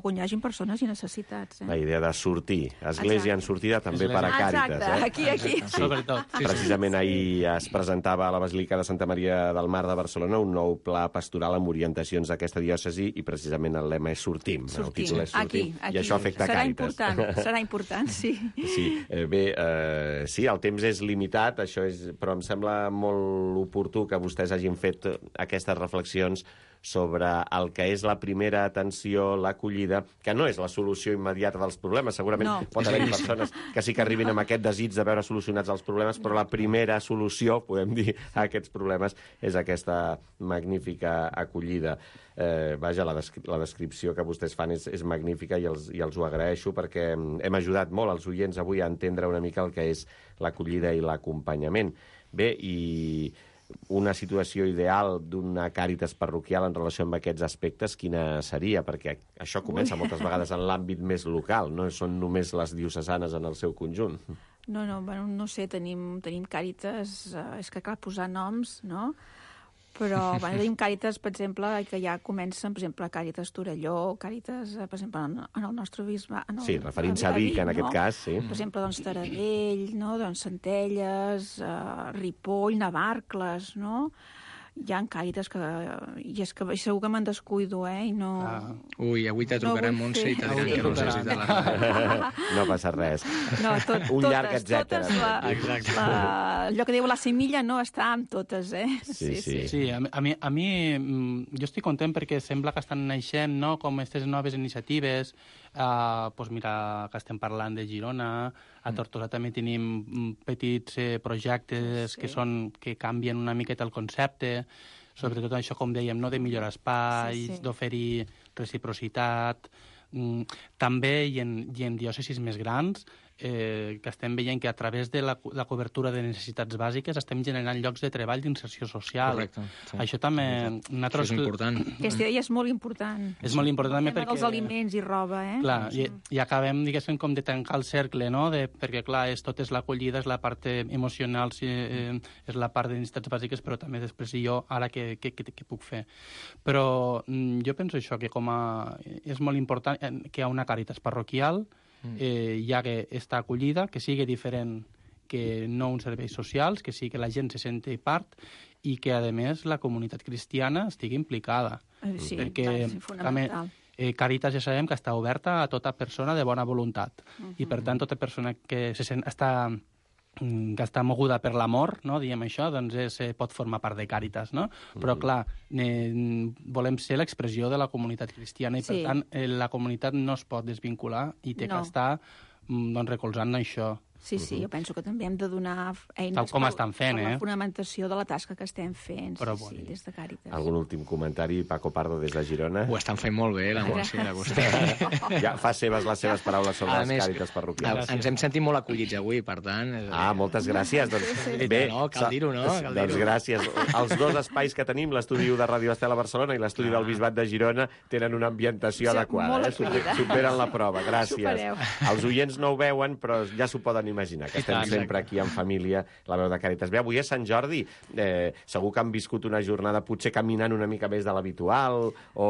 on hi hagin persones i necessitats. La idea de sortir. Església en sortida també per a Càritas. Exacte, aquí. Sobretot. Precisament ahir es presentava a la Basílica de Santa Maria del Mar de Barcelona un nou pla pastoral amb orientacions d'aquesta diòcesi i precisament el lema és Sortim. El títol és Sortim. I això afecta Càritas. Serà important, sí. Sí, el temps és limitat, però em sembla molt oportú que vostès hagin fet aquestes reflexions sobre el que és la primera atenció, l'acollida, que no és la solució immediata dels problemes. Segurament pot haver persones que sí que arribin amb aquest desig de veure solucionats els problemes, però la primera solució, podem dir, a aquests problemes és aquesta magnífica acollida. La descripció que vostès fan és magnífica i els ho agraeixo perquè hem ajudat molt els oients avui a entendre una mica el que és l'acollida i l'acompanyament. Bé, i una situació ideal d'una Càritas parroquial en relació amb aquests aspectes, quina seria? Perquè això comença moltes vegades en l'àmbit més local, no són només les diocesanes en el seu conjunt. No sé, tenim Càritas, és que cal posar noms, no? Però tenim Càritas, per exemple, que ja comencen, per exemple, Càritas Torelló, Càritas, per exemple, en el nostre bisbe... Sí, referint-se a Vic, en aquest cas, sí. Per exemple, Taradell, Centelles, Ripoll, Navarcles, no? hi ha Càritas que... I és que segur que me'n descuido, I no... Ui, avui te trucarà Montse i te diran que no sé si te la... No passa res. No, Un llarg etcètera. Exacte. Allò que diu la semilla no està amb totes, Sí. Sí, a mi jo estic content perquè sembla que estan naixent, no?, com aquestes noves iniciatives. Doncs mira, que estem parlant de Girona, a Tortosa també tenim petits projectes que canvien una miqueta el concepte, sobretot això, com dèiem, no?, de millorar espais, d'oferir reciprocitat. També i en diòcesis més grans, que estem veient que a través de la cobertura de necessitats bàsiques estem generant llocs de treball d'inserció social. Correcte. Sí. Això també... Això és important. Aquesta idea és molt important. És molt important també perquè... dels aliments i roba, Clar, i acabem, diguéssim, com de tancar el cercle, no?, perquè, clar, tot és l'acollida, és la part emocional, és la part de necessitats bàsiques, però també després jo, ara, què puc fer? Però jo penso això, que és molt important que hi ha una Càritas parroquial, ja que està acollida, que sigui diferent que no uns serveis socials, que sigui que la gent se senti part i que, a més, la comunitat cristiana estigui implicada. Sí, perquè, és fonamental. Càritas ja sabem que està oberta a tota persona de bona voluntat. I, per tant, tota persona que està moguda per l'amor, no?, diem això, doncs pot formar part de Càritas, no? Però, clar, volem ser l'expressió de la comunitat cristiana i, per tant, la comunitat no es pot desvincular i té que estar recolzant això. Sí, jo penso que també hem de donar eines tal com estan fent, per la fonamentació de la tasca que estem fent, però des de Càritas. Algun últim comentari, Paco Pardo, des de Girona? Ho estan fent molt bé, la Montse i la Agustí. Ja fa les seves paraules sobre les Càritas parroquials. Ens hem sentit molt acollits avui, per tant... Moltes gràcies. Doncs, bé, cal dir-ho, no? Doncs gràcies. Els dos espais que tenim, l'estudi de Ràdio Estel a Barcelona i l'estudi del Bisbat de Girona, tenen una ambientació adequada. Superen la prova. Gràcies. Els oients no ho veuen, però ja s'ho poden imaginar, que estem sempre aquí en família, la veu de Càritas. Bé, avui és Sant Jordi. Segur que han viscut una jornada potser caminant una mica més de l'habitual, o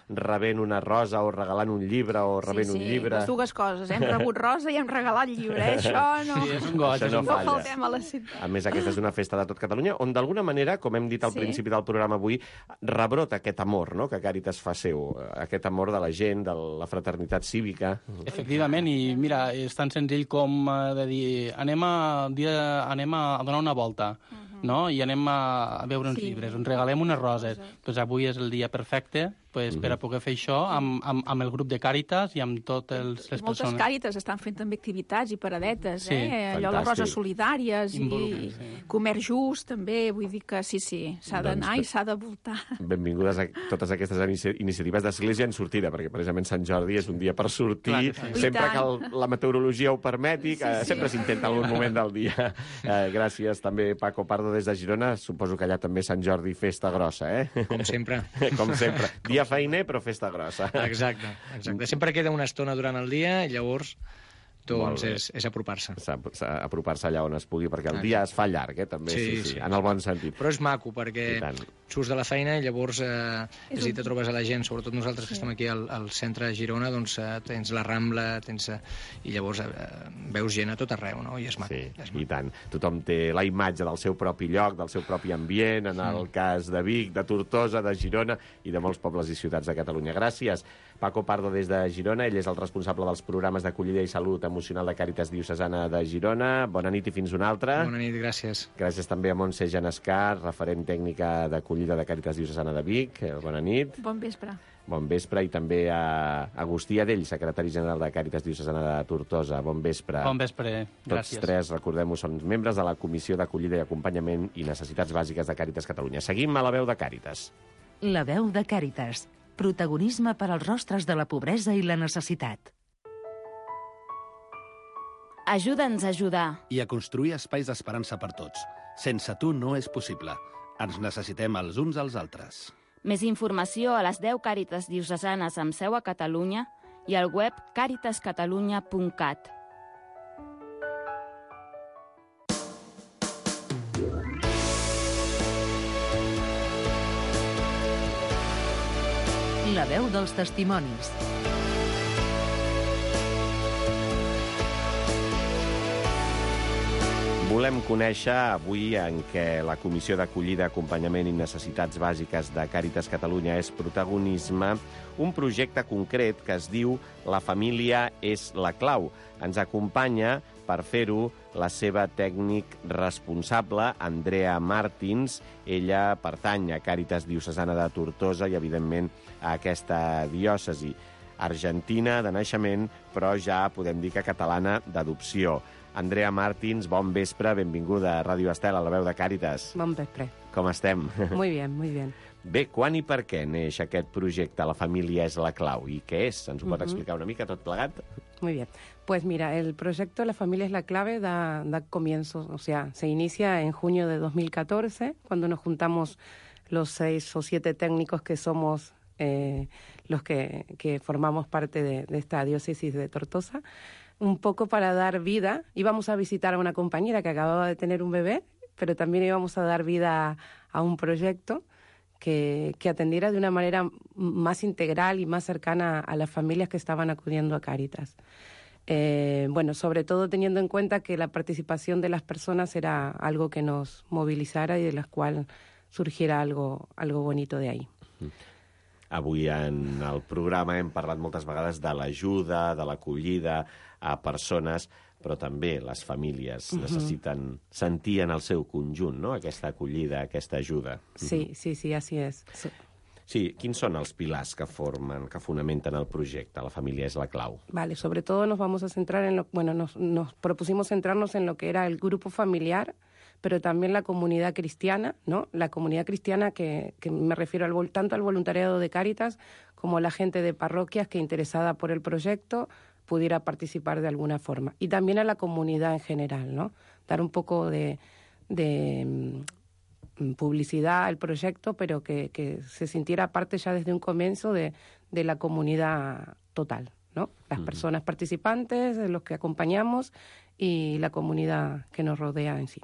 rebent una rosa, o regalant un llibre, o rebent un llibre. Les dues coses. Hem rebut rosa i hem regalat llibre. Això no... Sí, és un goig. No faltem a la ciutat. A més, aquesta és una festa de tot Catalunya, on d'alguna manera, com hem dit al principi del programa avui, rebrota aquest amor, no?, que Càritas fa seu. Aquest amor de la gent, de la fraternitat cívica. Efectivament, i mira, és tan senzill com de dir anem a donar una volta, no?, i anem a veure uns llibres, ens regalem unes roses. Doncs avui és el dia perfecte per a poder fer això amb el grup de Càritas i amb totes les persones. Moltes Càritas estan fent també activitats i paradetes, allò, les roses solidàries i comerç just, també, vull dir que sí, s'ha d'anar i s'ha de voltar. Benvingudes a totes aquestes iniciatives d'Església en sortida, perquè precisament Sant Jordi és un dia per sortir, sempre que la meteorologia ho permeti, que sempre s'intenta algun moment del dia. Gràcies també, Paco Pardo, des de Girona. Suposo que allà també Sant Jordi festa grossa, Com sempre. Com sempre. Dia feiner, però festa grossa. Exacte. Sempre queda una estona durant el dia i llavors doncs és apropar-se. Apropar-se allà on es pugui, perquè el dia es fa llarg, també, sí, en el bon sentit. Però és maco, perquè surts de la feina i llavors si te trobes a la gent, sobretot nosaltres que estem aquí al centre de Girona, doncs tens la Rambla, i llavors veus gent a tot arreu, no? I és maco. Sí, i tant. Tothom té la imatge del seu propi lloc, del seu propi ambient, en el cas de Vic, de Tortosa, de Girona i de molts pobles i ciutats de Catalunya. Gràcies, Paco Pardo, des de Girona. Ell és el responsable dels programes d'acollida i salut emocional de Càritas Diocesana de Girona. Bona nit i fins una altra. Bona nit, gràcies. Gràcies també a Montse Genescar, referent tècnica d'acollida de Càritas Diocesana de Vic. Bona nit. Bon vespre. Bon vespre. I també a Agustí Adell, secretari general de Càritas Diocesana de Tortosa. Bon vespre. Bon vespre. Gràcies. Tots tres, recordem-ho, són membres de la Comissió d'Acollida i Acompanyament i Necessitats Bàsiques de Càritas Catalunya. Seguim a la veu de Càritas. La veu de Càritas. Protagonisme per als rostres de la pobresa i la necessitat. Ajuda'ns a ajudar. I a construir espais d'esperança per tots. Sense tu no és possible. Ens necessitem els uns als altres. Més informació a les 10 Càritas diocesanes amb seu a Catalunya i al web caritascatalunya.cat. La veu dels testimonis. Volem conèixer avui en què la Comissió d'Acollida, Acompanyament i Necessitats Bàsiques de Càritas Catalunya és protagonisme, un projecte concret que es diu La família és la clau. Ens acompanya per fer-ho la seva tècnic responsable, Andrea Martins. Ella pertany a Càritas Diocesana de Tortosa i, evidentment, a aquesta diòcesi. Argentina de naixement, però ja podem dir que catalana d'adopció. Andrea Martins, bon vespre, benvinguda a Ràdio Estel, a la veu de Càritas. Bon vespre. Com estem? Muy bien, muy bien. Bé, quan i per què neix aquest projecte La família és la clau? I què és? Ens ho pot explicar una mica tot plegat? Muy bien. Pues mira, el proyecto La familia es la clave da comienzo, o sea, se inicia en junio de 2014, cuando nos juntamos los 6 o 7 técnicos que somos los que formamos parte de esta diócesis de Tortosa, un poco para dar vida. Íbamos a visitar a una compañera que acababa de tener un bebé, pero también íbamos a dar vida a un proyecto que atendiera de una manera más integral y más cercana a las familias que estaban acudiendo a Càritas. Bueno, sobre todo teniendo en cuenta que la participación de las personas era algo que nos movilizara y de la cual surgiera algo bonito de ahí. Avui en el programa hem parlat moltes vegades de l'ajuda, de l'acollida a persones, però també les famílies necessiten sentir en el seu conjunt, no?, aquesta acollida, aquesta ajuda. Sí, sí, sí, así es. Sí, quins són els pilars que fonamenten el projecte? La família és la clau. Vale, sobre todo nos vamos a centrar en nos propusimos centrarnos en lo que era el grupo familiar, pero también la comunidad cristiana, ¿no? La comunidad cristiana que me refiero tanto al voluntariado de Càritas como la gente de parroquias que interesada por el proyecto pudiera participar de alguna forma. Y también a la comunidad en general, ¿no? Dar un poco de publicidad al proyecto, pero que se sintiera parte ya desde un comienzo de la comunidad total, ¿no? Las personas participantes, los que acompañamos y la comunidad que nos rodea en sí.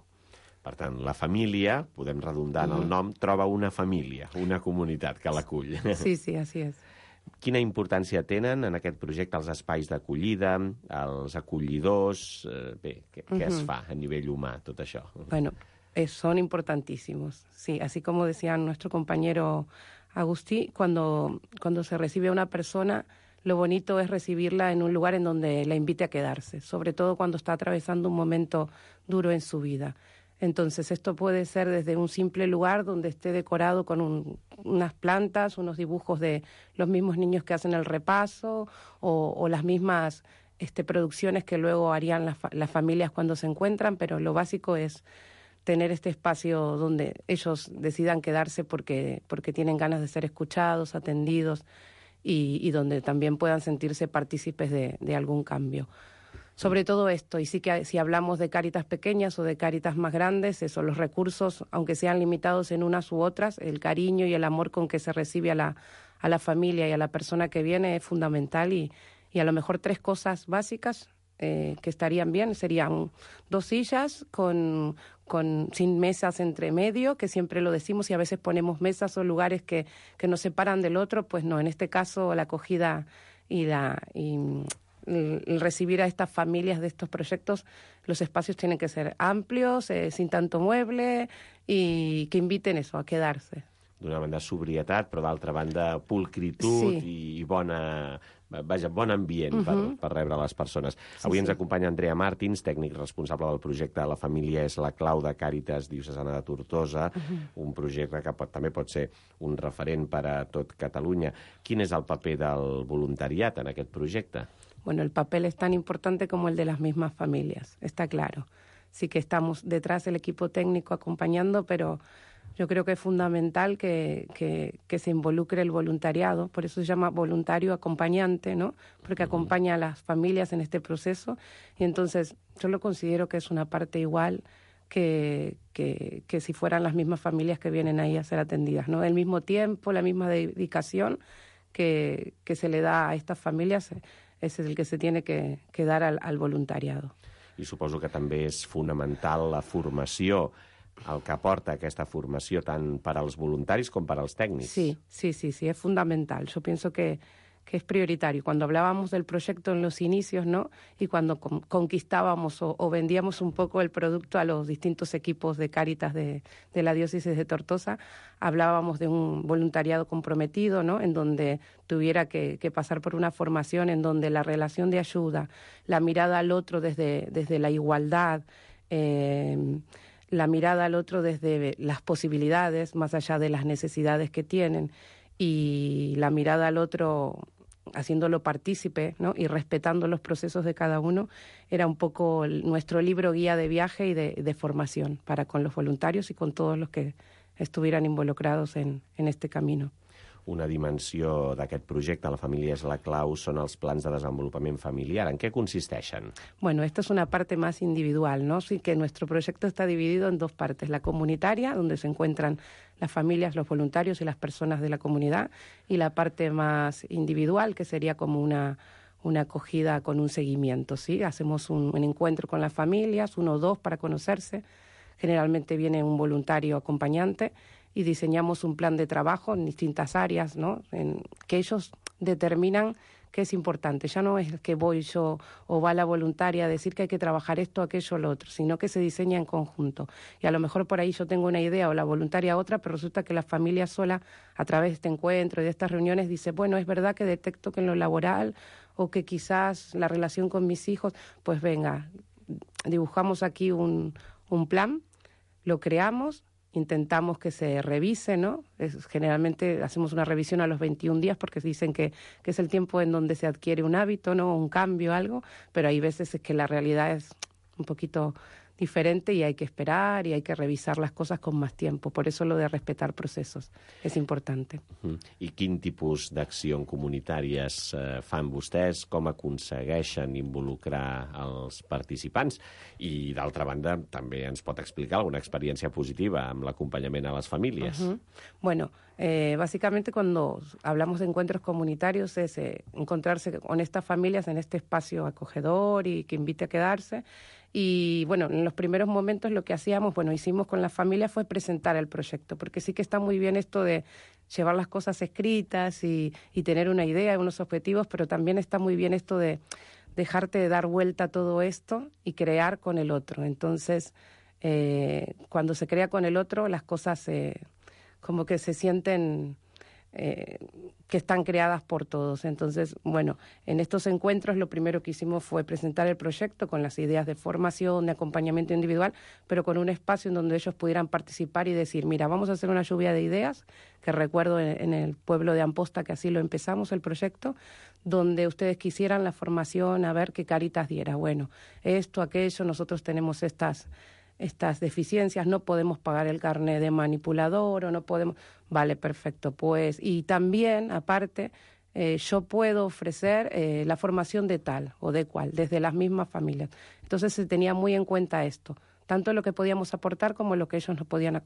Per tant, la família, podem redundar en el nom, troba una família, una comunitat que l'acull. Sí, sí, así es. Quina importància tenen en aquest projecte els espais d'acollida, els acollidors? Bé, què es fa a nivell humà, tot això? Bueno, son importantísimos. Sí, así como decía nuestro compañero Agustí, cuando se recibe a una persona, lo bonito es recibirla en un lugar en donde la invite a quedarse, sobre todo cuando está atravesando un momento duro en su vida. Entonces, esto puede ser desde un simple lugar donde esté decorado con unas plantas, unos dibujos de los mismos niños que hacen el repaso o las mismas producciones que luego harían las familias cuando se encuentran, pero lo básico es tener este espacio donde ellos decidan quedarse porque tienen ganas de ser escuchados, atendidos y donde también puedan sentirse partícipes de algún cambio. Sobre todo esto, y sí que si hablamos de Càritas pequeñas o de Càritas más grandes, eso, los recursos, aunque sean limitados en unas u otras, el cariño y el amor con que se recibe a la familia y a la persona que viene es fundamental y a lo mejor 3 cosas básicas que estarían bien serían 2 sillas sin mesas entre medio, que siempre lo decimos y a veces ponemos mesas o lugares que nos separan del otro, pues no, en este caso la acogida y el recibir a estas familias de estos proyectos, los espacios tienen que ser amplios, sin tanto mueble y que inviten eso, a quedarse. D'una banda sobrietat, però d'altra banda pulcritud i bon ambient per rebre les persones. Avui ens acompanya Andrea Martins, tècnic responsable del projecte La família és la clau de Càritas Diocesana de Tortosa, un projecte que també pot ser un referent per a tot Catalunya. Quin és el paper del voluntariat en aquest projecte? Bueno, el papel es tan importante como el de las mismas familias, está claro. Sí que estamos detrás del equipo técnico acompañando, pero yo creo que es fundamental que se involucre el voluntariado, por eso se llama voluntario acompañante, ¿no? Porque acompaña a las familias en este proceso y entonces yo lo considero que es una parte igual que si fueran las mismas familias que vienen ahí a ser atendidas, ¿no? El mismo tiempo, la misma dedicación que se le da a estas familias és el que se tiene que dar al voluntariado. I suposo que també és fonamental la formació, el que aporta aquesta formació tant per als voluntaris com per als tècnics. Sí, es fundamental. Yo pienso que es prioritario. Cuando hablábamos del proyecto en los inicios, ¿no? Y cuando conquistábamos o vendíamos un poco el producto a los distintos equipos de Cáritas de la diócesis de Tortosa, hablábamos de un voluntariado comprometido, ¿no? En donde tuviera que pasar por una formación en donde la relación de ayuda, la mirada al otro desde la igualdad, la mirada al otro desde las posibilidades, más allá de las necesidades que tienen, y la mirada al otro haciéndolo partícipe, ¿no? Y respetando los procesos de cada uno, era un poco nuestro libro guía de viaje y de formación para con los voluntarios y con todos los que estuvieran involucrados en este camino. Una dimensió d'aquest projecte, La família és la clau, són els plans de desenvolupament familiar. En què consisteixen? Bueno, esta es una parte más individual, ¿no? Sí que nuestro proyecto está dividido en dos partes. La comunitaria, donde se encuentran las familias, los voluntarios y las personas de la comunidad, y la parte más individual, que sería como una acogida con un seguimiento, ¿sí? Hacemos un encuentro con las familias, 1 o 2 para conocerse. Generalmente viene un voluntario acompañante y diseñamos un plan de trabajo en distintas áreas, ¿no? Que ellos determinan qué es importante. Ya no es que voy yo o va la voluntaria a decir que hay que trabajar esto, aquello, lo otro, sino que se diseña en conjunto. Y a lo mejor por ahí yo tengo una idea o la voluntaria otra, pero resulta que la familia sola, a través de este encuentro y de estas reuniones, dice, bueno, es verdad que detecto que en lo laboral o que quizás la relación con mis hijos, pues venga, dibujamos aquí un plan, lo creamos, intentamos que se revise, ¿no? Generalmente hacemos una revisión a los 21 días porque dicen que es el tiempo en donde se adquiere un hábito, ¿no? Un cambio, algo, pero hay veces es que la realidad es un poquito diferente y hay que esperar y hay que revisar las cosas con más tiempo. Por eso lo de respetar procesos es importante. I quin tipus d'acció comunitàries fan vostès? Com aconsegueixen involucrar els participants? I, d'altra banda, també ens pot explicar alguna experiència positiva amb l'acompanyament a les famílies. Bueno, básicamente cuando hablamos de encuentros comunitarios es encontrarse con estas familias en este espacio acogedor y que invite a quedarse. Y bueno, en los primeros momentos lo que hicimos con la familia fue presentar el proyecto, porque sí que está muy bien esto de llevar las cosas escritas y tener una idea, unos objetivos, pero también está muy bien esto de dejarte dar vuelta a todo esto y crear con el otro. Entonces, cuando se crea con el otro, las cosas como que se sienten que están creadas por todos. Entonces, bueno, en estos encuentros lo primero que hicimos fue presentar el proyecto con las ideas de formación, de acompañamiento individual, pero con un espacio en donde ellos pudieran participar y decir, mira, vamos a hacer una lluvia de ideas, que recuerdo en el pueblo de Amposta que así lo empezamos el proyecto, donde ustedes quisieran la formación, a ver qué Cáritas diera. Bueno, esto, aquello, nosotros tenemos estas deficiencias, no podemos pagar el carnet de manipulador o no podemos... Vale, perfecto, pues... Y también, aparte, yo puedo ofrecer la formación de tal o de cual, desde las mismas familias. Entonces se tenía muy en cuenta esto, tanto lo que podíamos aportar como lo que ellos nos podían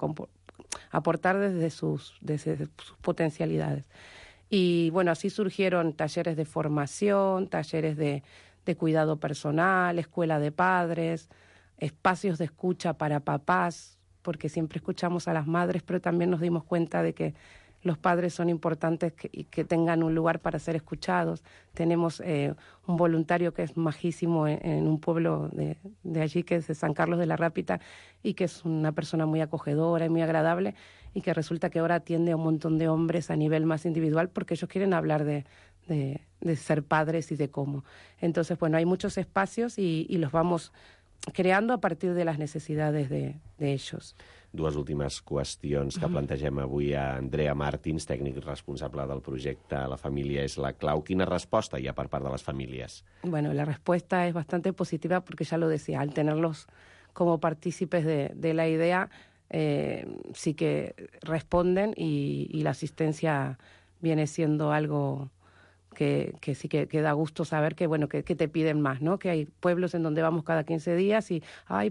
aportar desde sus potencialidades. Y bueno, así surgieron talleres de formación, talleres de cuidado personal, escuela de padres, espacios de escucha para papás, porque siempre escuchamos a las madres, pero también nos dimos cuenta de que los padres son importantes y que tengan un lugar para ser escuchados. Tenemos un voluntario que es majísimo en un pueblo de allí, que es de San Carlos de la Rápita, y que es una persona muy acogedora y muy agradable, y que resulta que ahora atiende a un montón de hombres a nivel más individual porque ellos quieren hablar de ser padres y de cómo. Entonces, bueno, hay muchos espacios y los vamos creando a partir de las necesidades de ellos. Dues últimes qüestions que plantegem avui a Andrea Martins, tècnic responsable del projecte La família és la clau. Quina resposta hi ha per part de les famílies? Bueno, la respuesta es bastante positiva porque ya lo decía, al tenerlos como partícipes de la idea, sí que responden y la asistencia viene siendo algo que sí que da gusto saber que, bueno, que te piden más, ¿no? Que hay pueblos en donde vamos cada 15 días y,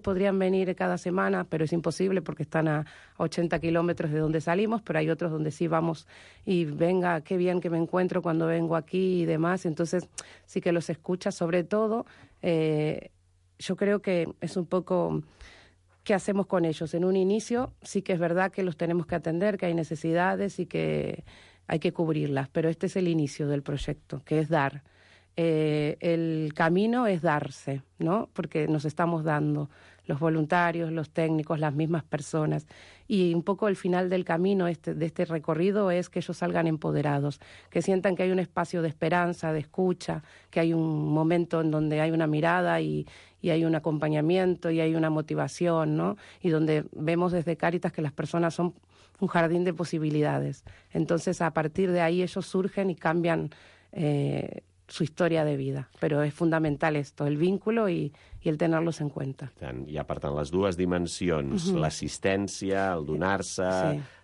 podrían venir cada semana, pero es imposible porque están a 80 kilómetros de donde salimos, pero hay otros donde sí vamos y venga, qué bien que me encuentro cuando vengo aquí y demás. Entonces sí que los escucha, sobre todo, yo creo que es un poco... ¿Qué hacemos con ellos? En un inicio sí que es verdad que los tenemos que atender, que hay necesidades y que hay que cubrirlas, pero este es el inicio del proyecto, que es dar. El camino es darse, ¿no? Porque nos estamos dando, los voluntarios, los técnicos, las mismas personas. Y un poco el final del camino de este recorrido es que ellos salgan empoderados, que sientan que hay un espacio de esperanza, de escucha, que hay un momento en donde hay una mirada y hay un acompañamiento y hay una motivación, ¿no? Y donde vemos desde Cáritas que las personas son un jardín de posibilidades. Entonces, a partir de ahí ellos surgen y cambian su historia de vida. Però és fundamental esto, el vínculo i el tenerlos en cuenta. Hi ha, per tant, les dues dimensions, l'assistència, el donar-se,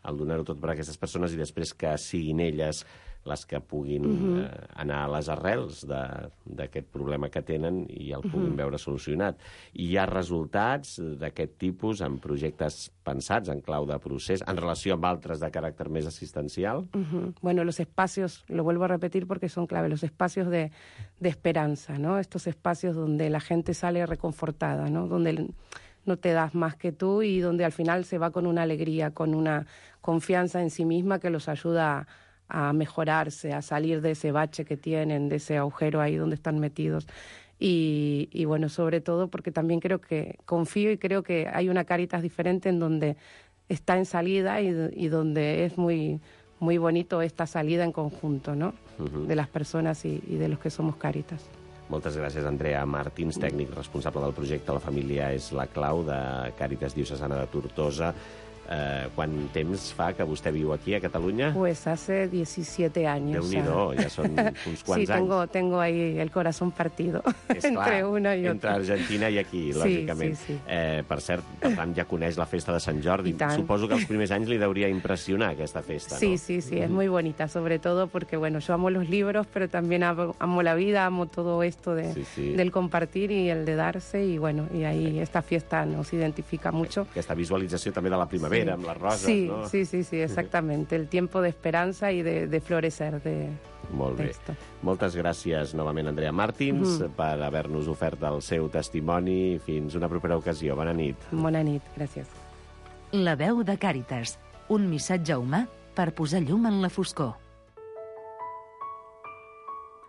el donar-ho tot per a aquestes persones i després que siguin elles les que puguin anar a les arrels d'aquest problema que tenen i el puguin veure solucionat. I hi ha resultats d'aquest tipus en projectes pensats en clau de procés, en relació amb altres de caràcter més assistencial? Bueno, los espacios, lo vuelvo a repetir porque son clave, los espacios de esperanza, ¿no? Estos espacios donde la gente sale reconfortada, ¿no? Donde no te das más que tú y donde al final se va con una alegría, con una confianza en sí misma que los ayuda a mejorarse, a salir de ese bache que tienen, de ese agujero ahí donde están metidos. Y bueno, sobre todo porque también confío y creo que hay una Cáritas diferente en donde está en salida y donde es muy, muy bonito esta salida en conjunto, ¿no? De las personas y de los que somos Cáritas. Moltes gràcies, Andrea Martins, tècnic responsable del projecte La família és la clau de Càritas Diocesana de Tortosa. Quant temps fa que vostè viu aquí, a Catalunya? Pues hace 17 años. Déu-n'hi-do, ja són uns quants anys. Sí, tengo ahí el corazón partido entre una i otra. Entre Argentina i aquí, lògicament. Sí. Per cert, per tant, ja coneix la festa de Sant Jordi. Suposo que els primers anys li deuria impressionar aquesta festa, ¿no? Sí, es muy bonita, sobre todo porque, bueno, yo amo los libros, pero también amo la vida, amo todo esto del compartir y el de darse, y bueno, y ahí esta fiesta nos identifica mucho. Aquesta visualització també de la primavera, amb les roses, no? Sí, exactamente. El tiempo de esperanza y de florecer de Molt bé. esto. Moltes gràcies novament, Andrea Martins, per haver-nos ofert el seu testimoni. Fins una propera ocasió. Bona nit. Bona nit, gràcies. La veu de Càritas, un missatge humà per posar llum en la foscor.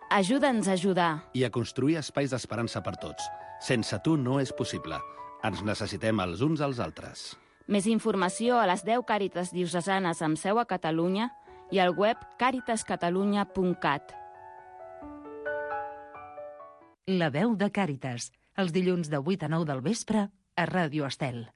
Ajuda'ns a ajudar. I a construir espais d'esperança per tots. Sense tu no és possible. Ens necessitem els uns als altres. Més informació a les 10 Càritas diocesanes amb seu a Catalunya i al web caritascatalunya.cat. La veu de Càritas, els dilluns de 8 a 9 del vespre a Ràdio Estel.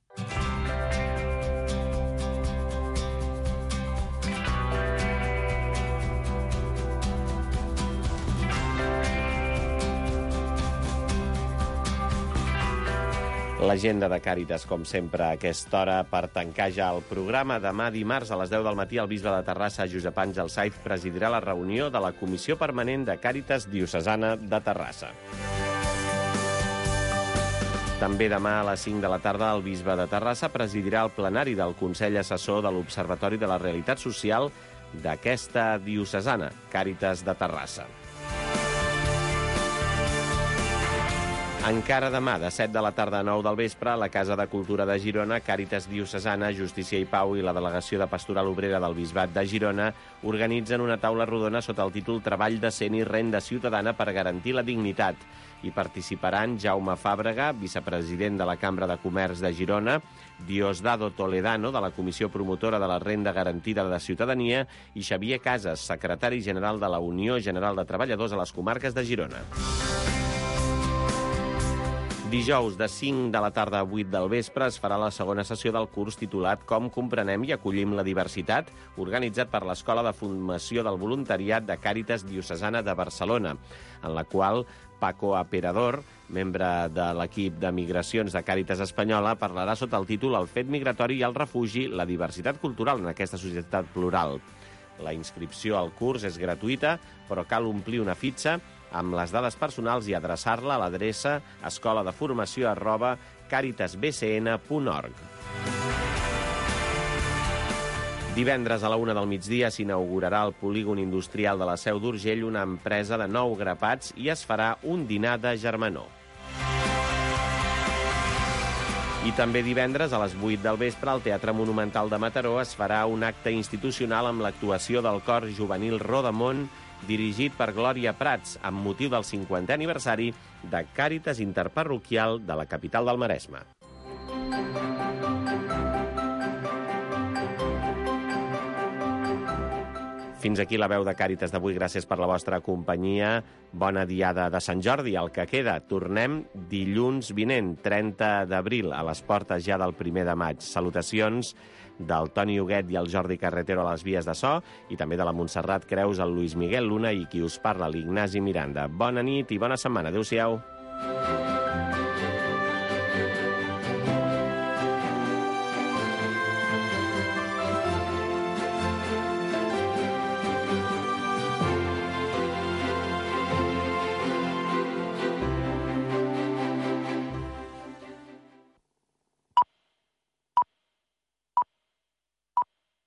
L'agenda de Càritas, com sempre, a aquesta hora per tancar ja el programa. Demà dimarts a les 10 del matí el bisbe de Terrassa, Josep Àngel Saiz, presidirà la reunió de la Comissió Permanent de Càritas Diocesana de Terrassa. També demà a les 5 de la tarda el bisbe de Terrassa presidirà el plenari del Consell Assessor de l'Observatori de la Realitat Social d'aquesta diocesana, Càritas de Terrassa. Encara demà, de 7 de la tarda a 9 del vespre, a la Casa de Cultura de Girona, Càritas Diocesana, Justícia i Pau i la Delegació de Pastoral Obrera del Bisbat de Girona organitzen una taula rodona sota el títol Treball decent i renda ciutadana per garantir la dignitat. Hi participaran Jaume Fàbrega, vicepresident de la Cambra de Comerç de Girona, Diosdado Toledano, de la Comissió Promotora de la Renda Garantida de Ciutadania, i Xavier Casas, secretari general de la Unió General de Treballadors a les comarques de Girona. Dijous, de 5 de la tarda a 8 del vespre, es farà la segona sessió del curs titulat Com comprenem i acollim la diversitat, organitzat per l'Escola de Formació del Voluntariat de Càritas Diocesana de Barcelona, en la qual Paco Aperador, membre de l'equip de migracions de Càritas Espanyola, parlarà sota el títol El fet migratori i el refugi, la diversitat cultural en aquesta societat plural. La inscripció al curs és gratuïta, però cal omplir una fitxa amb les dades personals i adreçar-la a l'adreça escoladeformació@caritasbcn.org. Divendres a la 1 del migdia s'inaugurarà al polígon industrial de la Seu d'Urgell una empresa de 9 grapats i es farà un dinar de germanor. I també divendres, a les 8 del vespre, al Teatre Monumental de Mataró es farà un acte institucional amb l'actuació del cor juvenil Rodamont, dirigit per Glòria Prats, amb motiu del 50è aniversari de Càritas Interparroquial de la capital del Maresme. Fins aquí la veu de Càritas d'avui. Gràcies per la vostra companyia. Bona diada de Sant Jordi. El que queda, tornem dilluns vinent, 30 d'abril, a les portes ja del 1 de maig. Salutacions del Toni Huguet i el Jordi Carretero a les vies de so i també de la Montserrat Creus, el Luis Miguel Luna i qui us parla, l'Ignasi Miranda. Bona nit i bona setmana. Adéu-siau.